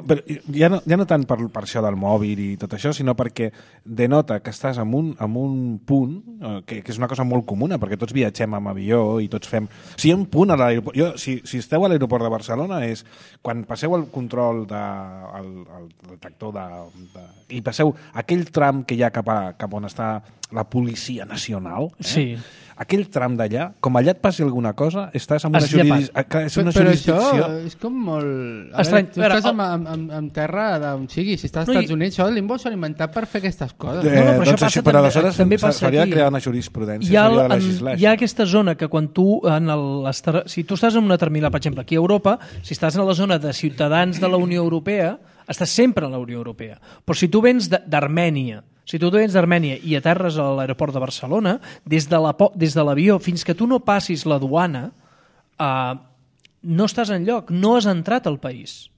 Speaker 1: Ja no tant per això del mòbil i tot això, sinó perquè denota que estàs en un punt, que és una cosa molt comuna, perquè tots viatgem amb avió i tots fem... Si hi ha un punt a l'aeroport... Si esteu a l'aeroport de Barcelona és quan passeu el control el detector i passeu aquell tram que hi ha cap on està la Policia Nacional,
Speaker 2: sí.
Speaker 1: Aquell tram d'allà, com allà et passi alguna cosa, estàs en una jurisdicció...
Speaker 4: Però això és com molt...
Speaker 2: Estrany.
Speaker 4: Tu estàs en terra d'on sigui. Si estàs als Estats Units, això limbo s'ha inventat per fer aquestes coses.
Speaker 1: Però aleshores s'hauria de crear una jurisprudència.
Speaker 2: Hi ha aquesta zona que quan tu... Si tu estàs en una terminal, per exemple, aquí a Europa, si estàs en la zona de ciutadans de la Unió Europea, estàs sempre en la Unió Europea. Però si tu vens d'Armènia, i aterres a l'aeroport de Barcelona, des de l'avió fins que tu no passis la duana, no estàs enlloc, no has entrat al país.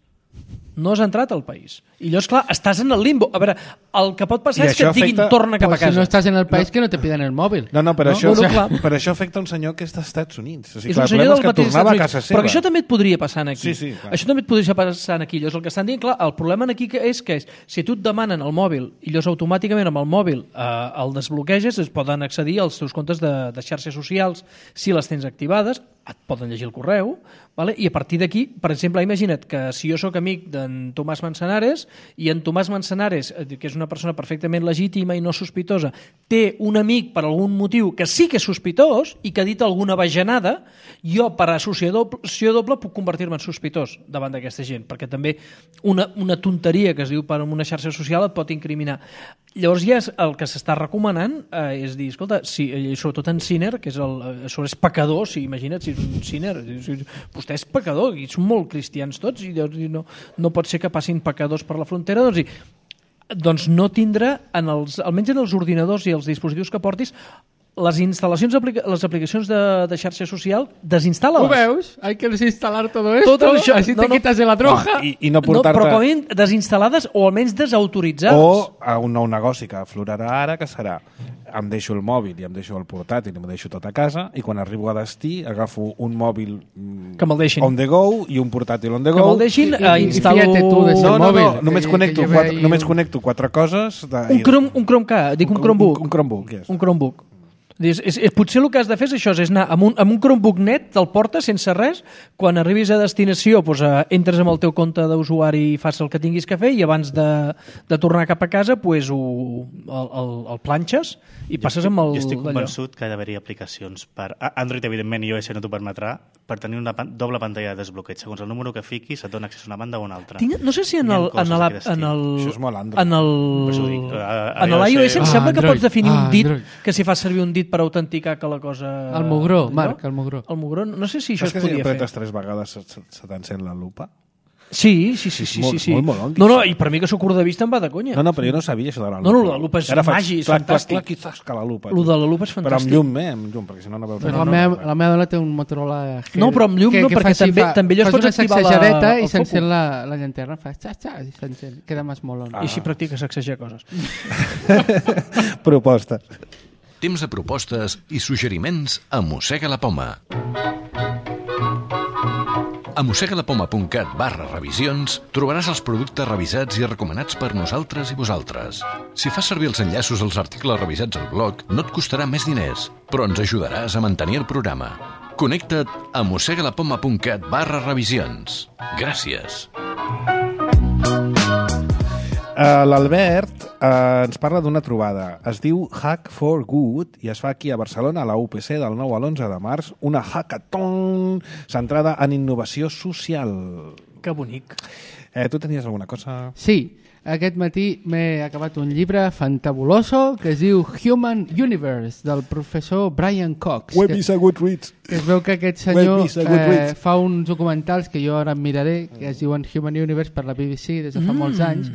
Speaker 2: I llavors, clar, estàs en el limbo. A veure, el que pot passar és que et diguin torna cap a casa.
Speaker 4: Si no estàs en el país, que no te piden el mòbil.
Speaker 1: No, però això afecta un senyor que és dels Estats Units. O sigui,
Speaker 2: és un senyor del mateix
Speaker 1: tornava a casa seva.
Speaker 2: Però això també et podria passar aquí.
Speaker 1: Sí,
Speaker 2: això també et podria passar aquí. Llavors, el que estan dient, clar, el problema aquí és que si tu et demanen el mòbil i llavors automàticament amb el mòbil el desbloqueges, es poden accedir als teus comptes de xarxes socials si les tens activades, et poden llegir el correu, vale? I a partir d'aquí, per exemple, imagina't que si jo sóc amic d'en Tomàs Manzanares i en Tomàs Manzanares, que és una persona perfectament legítima i no sospitosa, té un amic per algun motiu que sí que és sospitós i que ha dit alguna bajanada, jo per associació doble puc convertir-me en sospitós davant d'aquesta gent, perquè també una tonteria que es diu per una xarxa social et pot incriminar. Llavors ja el que s'està recomanant és dir, escolta, sobretot en Sinner, que és pecador, imagina't si és un Sinner, vostè és pecador i són molt cristians tots i no pot ser que passin pecadors per la frontera, doncs no tindrà, almenys en els ordinadors i els dispositius que portis, les instal·lacions, les aplicacions de xarxa social, desinstal·la-les.
Speaker 4: Ho veus? Hay que desinstalar todo esto, así te quitas de la troja.
Speaker 1: I no portar-te...
Speaker 2: Però com a mínim desinstal·lades o almenys desautoritzades.
Speaker 1: O a un nou negoci que aflorarà ara, que serà em deixo el mòbil i em deixo el portàtil i em deixo tot a casa i quan arribo a destí agafo un mòbil on the go i un portàtil on the go.
Speaker 2: Que me'l deixin, instal·lo...
Speaker 1: No, només connecto 4 coses...
Speaker 2: Un Chromecast, dic un Chromebook.
Speaker 1: Un Chromebook, yes.
Speaker 2: Un Chromebook. Potser el que has de fer és això, és anar amb un Chromebook net, te'l portes sense res, quan arribis a destinació entres amb el teu compte d'usuari i fas el que tinguis que fer i abans de tornar cap a casa el planxes i passes amb el...
Speaker 3: Jo estic convençut que ha d'haver-hi aplicacions per... Android, evidentment, iOS no t'ho permetrà, per tenir una doble pantalla de desbloqueig. Segons el número que fiquis, et dona accés a una banda o una altra.
Speaker 2: No sé si en
Speaker 1: Això és molt Android.
Speaker 2: en l'iOS em sembla que pots definir un dit, que si fas servir un dit per autenticar que la cosa...
Speaker 4: El mugró, Marc, el mugró.
Speaker 2: El mugró, no sé si això es
Speaker 1: podia fer. Saps que si apretes 3 vegades se t'encén la lupa?
Speaker 2: Sí.
Speaker 1: Molt molonguis.
Speaker 2: No, i per mi que sóc curt de vista em va de conya.
Speaker 1: No, però jo no sabia això de la lupa.
Speaker 2: No, la lupa és màgic, és fantàstic.
Speaker 1: Clar, quizás que la lupa.
Speaker 2: Lo de la lupa és fantàstic.
Speaker 1: Però amb llum, amb llum, perquè si no no veus...
Speaker 4: La meva dona té un Motorola G.
Speaker 2: No, però amb llum no, perquè també allò es pots activar
Speaker 4: la... Fas una sacsejadeta i s'encén la llanterna, fa xa-xa, i s'encén. Queda més molon.
Speaker 2: I així practiques sacsejar coses.
Speaker 1: Propostes.
Speaker 6: Temps de propostes i suggeriments a Mossega la Poma. A mossegalapoma.cat/revisions trobaràs els productes revisats i recomanats per nosaltres i vosaltres. Si fas servir els enllaços als articles revisats al blog, no et costarà més diners, però ens ajudaràs a mantenir el programa. Connecta't a mossegalapoma.cat/revisions. Gràcies.
Speaker 1: L'Albert ens parla d'una trobada. Es diu Hack for Good i es fa aquí a Barcelona, a la UPC, del 9 a l'11 de març, una hackathon centrada en innovació social.
Speaker 2: Que bonic.
Speaker 1: Tu tenies alguna cosa?
Speaker 4: Sí, aquest matí m'he acabat un llibre fantabuloso que es diu Human Universe, del professor Brian Cox.
Speaker 1: Web is a good read.
Speaker 4: Que es veu que aquest senyor fa uns documentals que jo ara em miraré, que es diuen Human Universe per la BBC des de fa molts anys.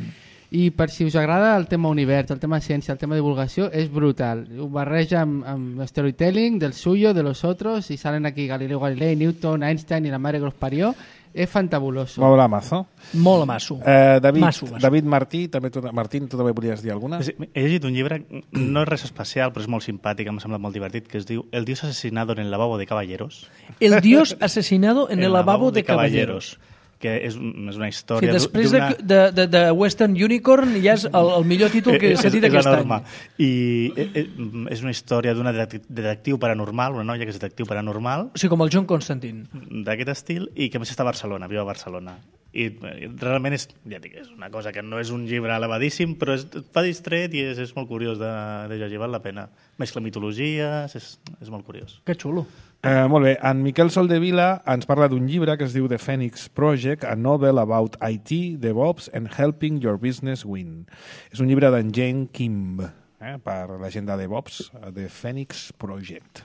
Speaker 4: I per si us agrada el tema univers, el tema ciència, el tema divulgació, és brutal. Ho barreja amb storytelling del suyo, de los otros, i salen aquí Galileo Galilei, Newton, Einstein i la mare que los parió. És fantabuloso.
Speaker 1: Molt amazo.
Speaker 2: Molt amasso.
Speaker 1: David Martí, Martín, tu també volies dir alguna?
Speaker 3: He llegit un llibre, no és res especial, però és molt simpàtic, m'ha semblat molt divertit, que es diu El dios asesinado en el lavabo de caballeros.
Speaker 2: El dios asesinado en el lavabo de caballeros.
Speaker 3: Que és una història...
Speaker 2: Sí, després de Western Unicorn ja és el millor títol que s'ha dit aquest any.
Speaker 3: I és una història d'una detectiu paranormal, una noia que és detectiu paranormal.
Speaker 2: O sigui, com el John Constantine.
Speaker 3: D'aquest estil, i que a més està a Barcelona, viu a Barcelona. I realment és una cosa que no és un llibre elevadíssim, però fa distret i és molt curiós de llegir, val la pena. Mescla mitologies, és molt curiós.
Speaker 2: Que xulo.
Speaker 1: Molt bé, en Miquel Soldevila ens parla d'un llibre que es diu The Phoenix Project, a novel about IT, DevOps and helping your business win. És un llibre d'en Jane Kim, per la gent de DevOps, The Phoenix Project,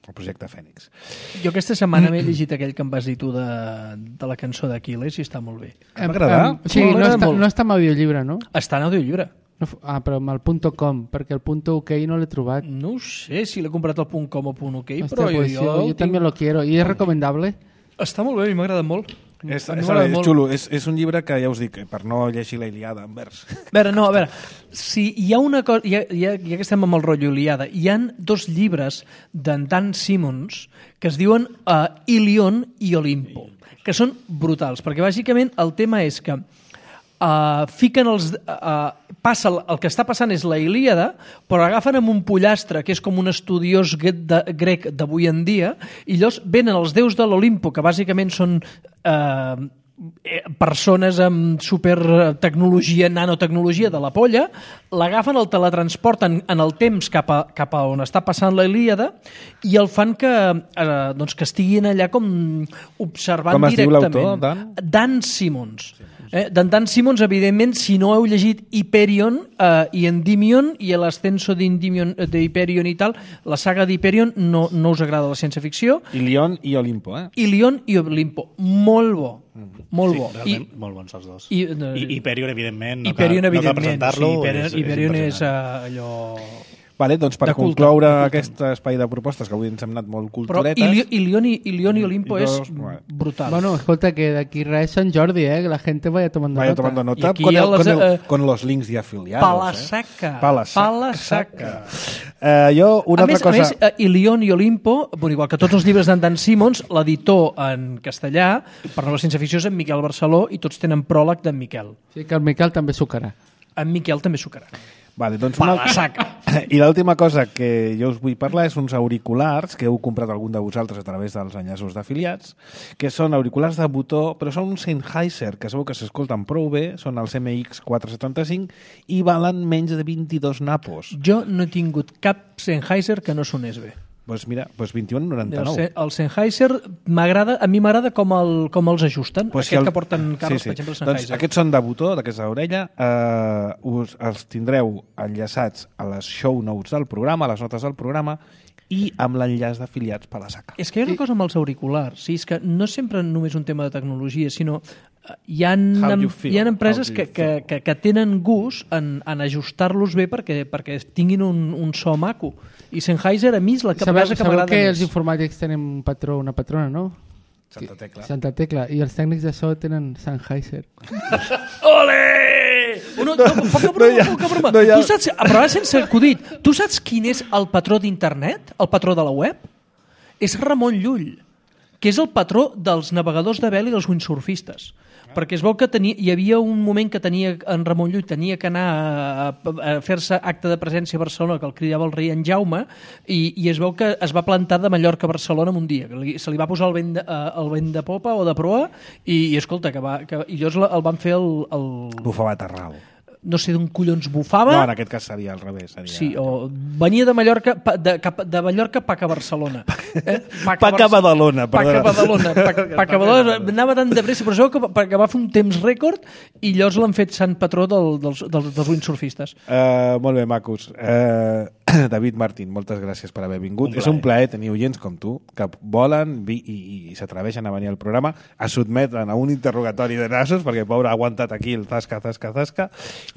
Speaker 1: el projecte Phoenix.
Speaker 2: Jo aquesta setmana m'he llegit aquell que em vas dir tu de la cançó d'Aquiles i està molt bé.
Speaker 1: M'agrada?
Speaker 4: Sí, no està en audiollibre, no?
Speaker 2: Està en audiollibre.
Speaker 4: Però amb el .com, perquè el .uk no l'he trobat.
Speaker 2: No ho sé si l'he comprat al .com o .uk, però
Speaker 4: jo també lo quiero. I és recomendable?
Speaker 2: Està molt bé, a mi m'ha agradat molt.
Speaker 1: És xulo, és un llibre que ja us dic, per no llegir la Ilíada en vers.
Speaker 2: A veure, si hi ha una cosa, ja que estem amb el rotllo Ilíada, hi ha 2 llibres d'en Dan Simmons que es diuen Ilion i Olimpo, que són brutals, perquè bàsicament el tema és que fiquen el que està passant és la Ilíada, però agafen amb un pollastre que és com un estudiós grec d'avui en dia, i llavors venen els déus de l'Olimpo, que bàsicament són persones amb supertecnologia, nanotecnologia de la polla, l'agafen, el teletransporten en el temps cap a on està passant la Ilíada i el fan que estiguin allà com observant directament.
Speaker 1: Com es diu l'autor, Dan?
Speaker 2: Dan Simmons. D'en Dan Simmons, evidentment, si no heu llegit Hyperion i Endymion i l'ascenso d'Hyperion i tal, la saga d'Hyperion no us agrada la ciència-ficció.
Speaker 1: Ilion i Olimpo,
Speaker 2: Ilion i Olimpo. Molt bo. Molt bo.
Speaker 3: Realment, molt bons els dos. I Hyperion, evidentment, no cal presentar-lo.
Speaker 2: Hyperion és allò...
Speaker 1: Vale, doncs per concloure aquest espai de propostes, que avui ens hem anat molt culturetes...
Speaker 2: Però Ilion i Olimpo és brutal.
Speaker 4: Bueno, escolta, que d'aquí res Sant Jordi, que la gente vaya tomando nota.
Speaker 1: Con los links y afiliados.
Speaker 2: Palasaca.
Speaker 1: Jo, una altra cosa...
Speaker 2: A més, Ilion i Olimpo, igual que tots els llibres d'en Dan Simmons, l'editor en castellà, per la ciència-ficció és en Miquel Barceló, i tots tenen pròleg d'en Miquel.
Speaker 4: Sí, que el Miquel també sucarà.
Speaker 2: En Miquel també sucarà.
Speaker 1: Vale, doncs I l'última cosa que jo us vull parlar és uns auriculars que heu comprat algun de vosaltres a través dels enllaços d'afiliats, que són auriculars de botó, però són uns Sennheiser, que sabeu que s'escolten prou bé, són els MX475 i valen menys de 22 napos.
Speaker 2: Jo no he tingut cap Sennheiser que no sonés bé.
Speaker 1: Doncs mira, 21,99.
Speaker 2: El Sennheiser m'agrada, a mi m'agrada com els ajusten, aquest que porten carros, per exemple, el Sennheiser.
Speaker 1: Doncs aquests són de botó, d'aquesta orella, els tindreu enllaçats a les show notes del programa, a les notes del programa, i amb l'enllaç d'afiliats per la SACA.
Speaker 2: És que hi ha una cosa amb els auriculars, sí, és que no és sempre només un tema de tecnologia, sinó hi ha empreses que tenen gust en ajustar-los bé perquè tinguin un so maco. I Sennheiser a mi és la que m'agrada més.
Speaker 4: Sabeu que els informàtics tenen un patró, una patrona, no? Santa Tecla. I els tècnics de so tenen Sennheiser.
Speaker 2: Ole! Poca broma. Tu saps, a provar sense acudit, tu saps quin és el patró d'internet? El patró de la web? És Ramon Llull, que és el patró dels navegadors de vela i dels windsurfistes. Perquè es veu que hi havia un moment que en Ramon Llull tenia que anar a fer-se acte de presència a Barcelona, que el cridava el rei en Jaume, i es veu que es va plantar de Mallorca a Barcelona en un dia. Se li va posar el vent de popa o de proa i escolta, i llavors el van fer el...
Speaker 1: Bufava Terral.
Speaker 2: No sé d'on collons bufava.
Speaker 1: No, en aquest cas seria al revés.
Speaker 2: Sí, o venia de Mallorca, de Mallorca pac a Barcelona.
Speaker 1: Pac a Badalona, perdona.
Speaker 2: Pac a Badalona. Anava tan de pressa, però això que va fer un temps rècord i llavors l'han fet sant patró dels windsurfistes.
Speaker 1: Molt bé, macos. David Martín, moltes gràcies per haver vingut. És un plaer tenir oients com tu, que volen i s'atreveixen a venir al programa, a sotmeten a un interrogatori de nassos, perquè pobre ha aguantat aquí el zasca,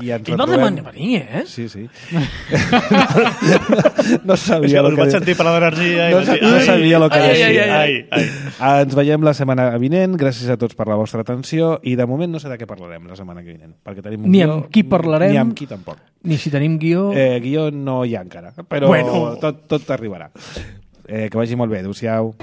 Speaker 1: i
Speaker 2: no demanen venir, eh?
Speaker 1: Sí. No sabia el que...
Speaker 3: Vaig sentir parlar d'energia
Speaker 1: no sabia el que
Speaker 3: deia.
Speaker 1: Ens veiem la setmana vinent. Gràcies a tots per la vostra atenció i de moment no sé de què parlarem la setmana que vinent, perquè tenim un
Speaker 2: guió, amb qui parlarem,
Speaker 1: ni amb qui tampoc.
Speaker 2: Ni si tenim guió.
Speaker 1: Guió no hi ha encara, però tot arribarà. Que vagi molt bé. Adéu-siau.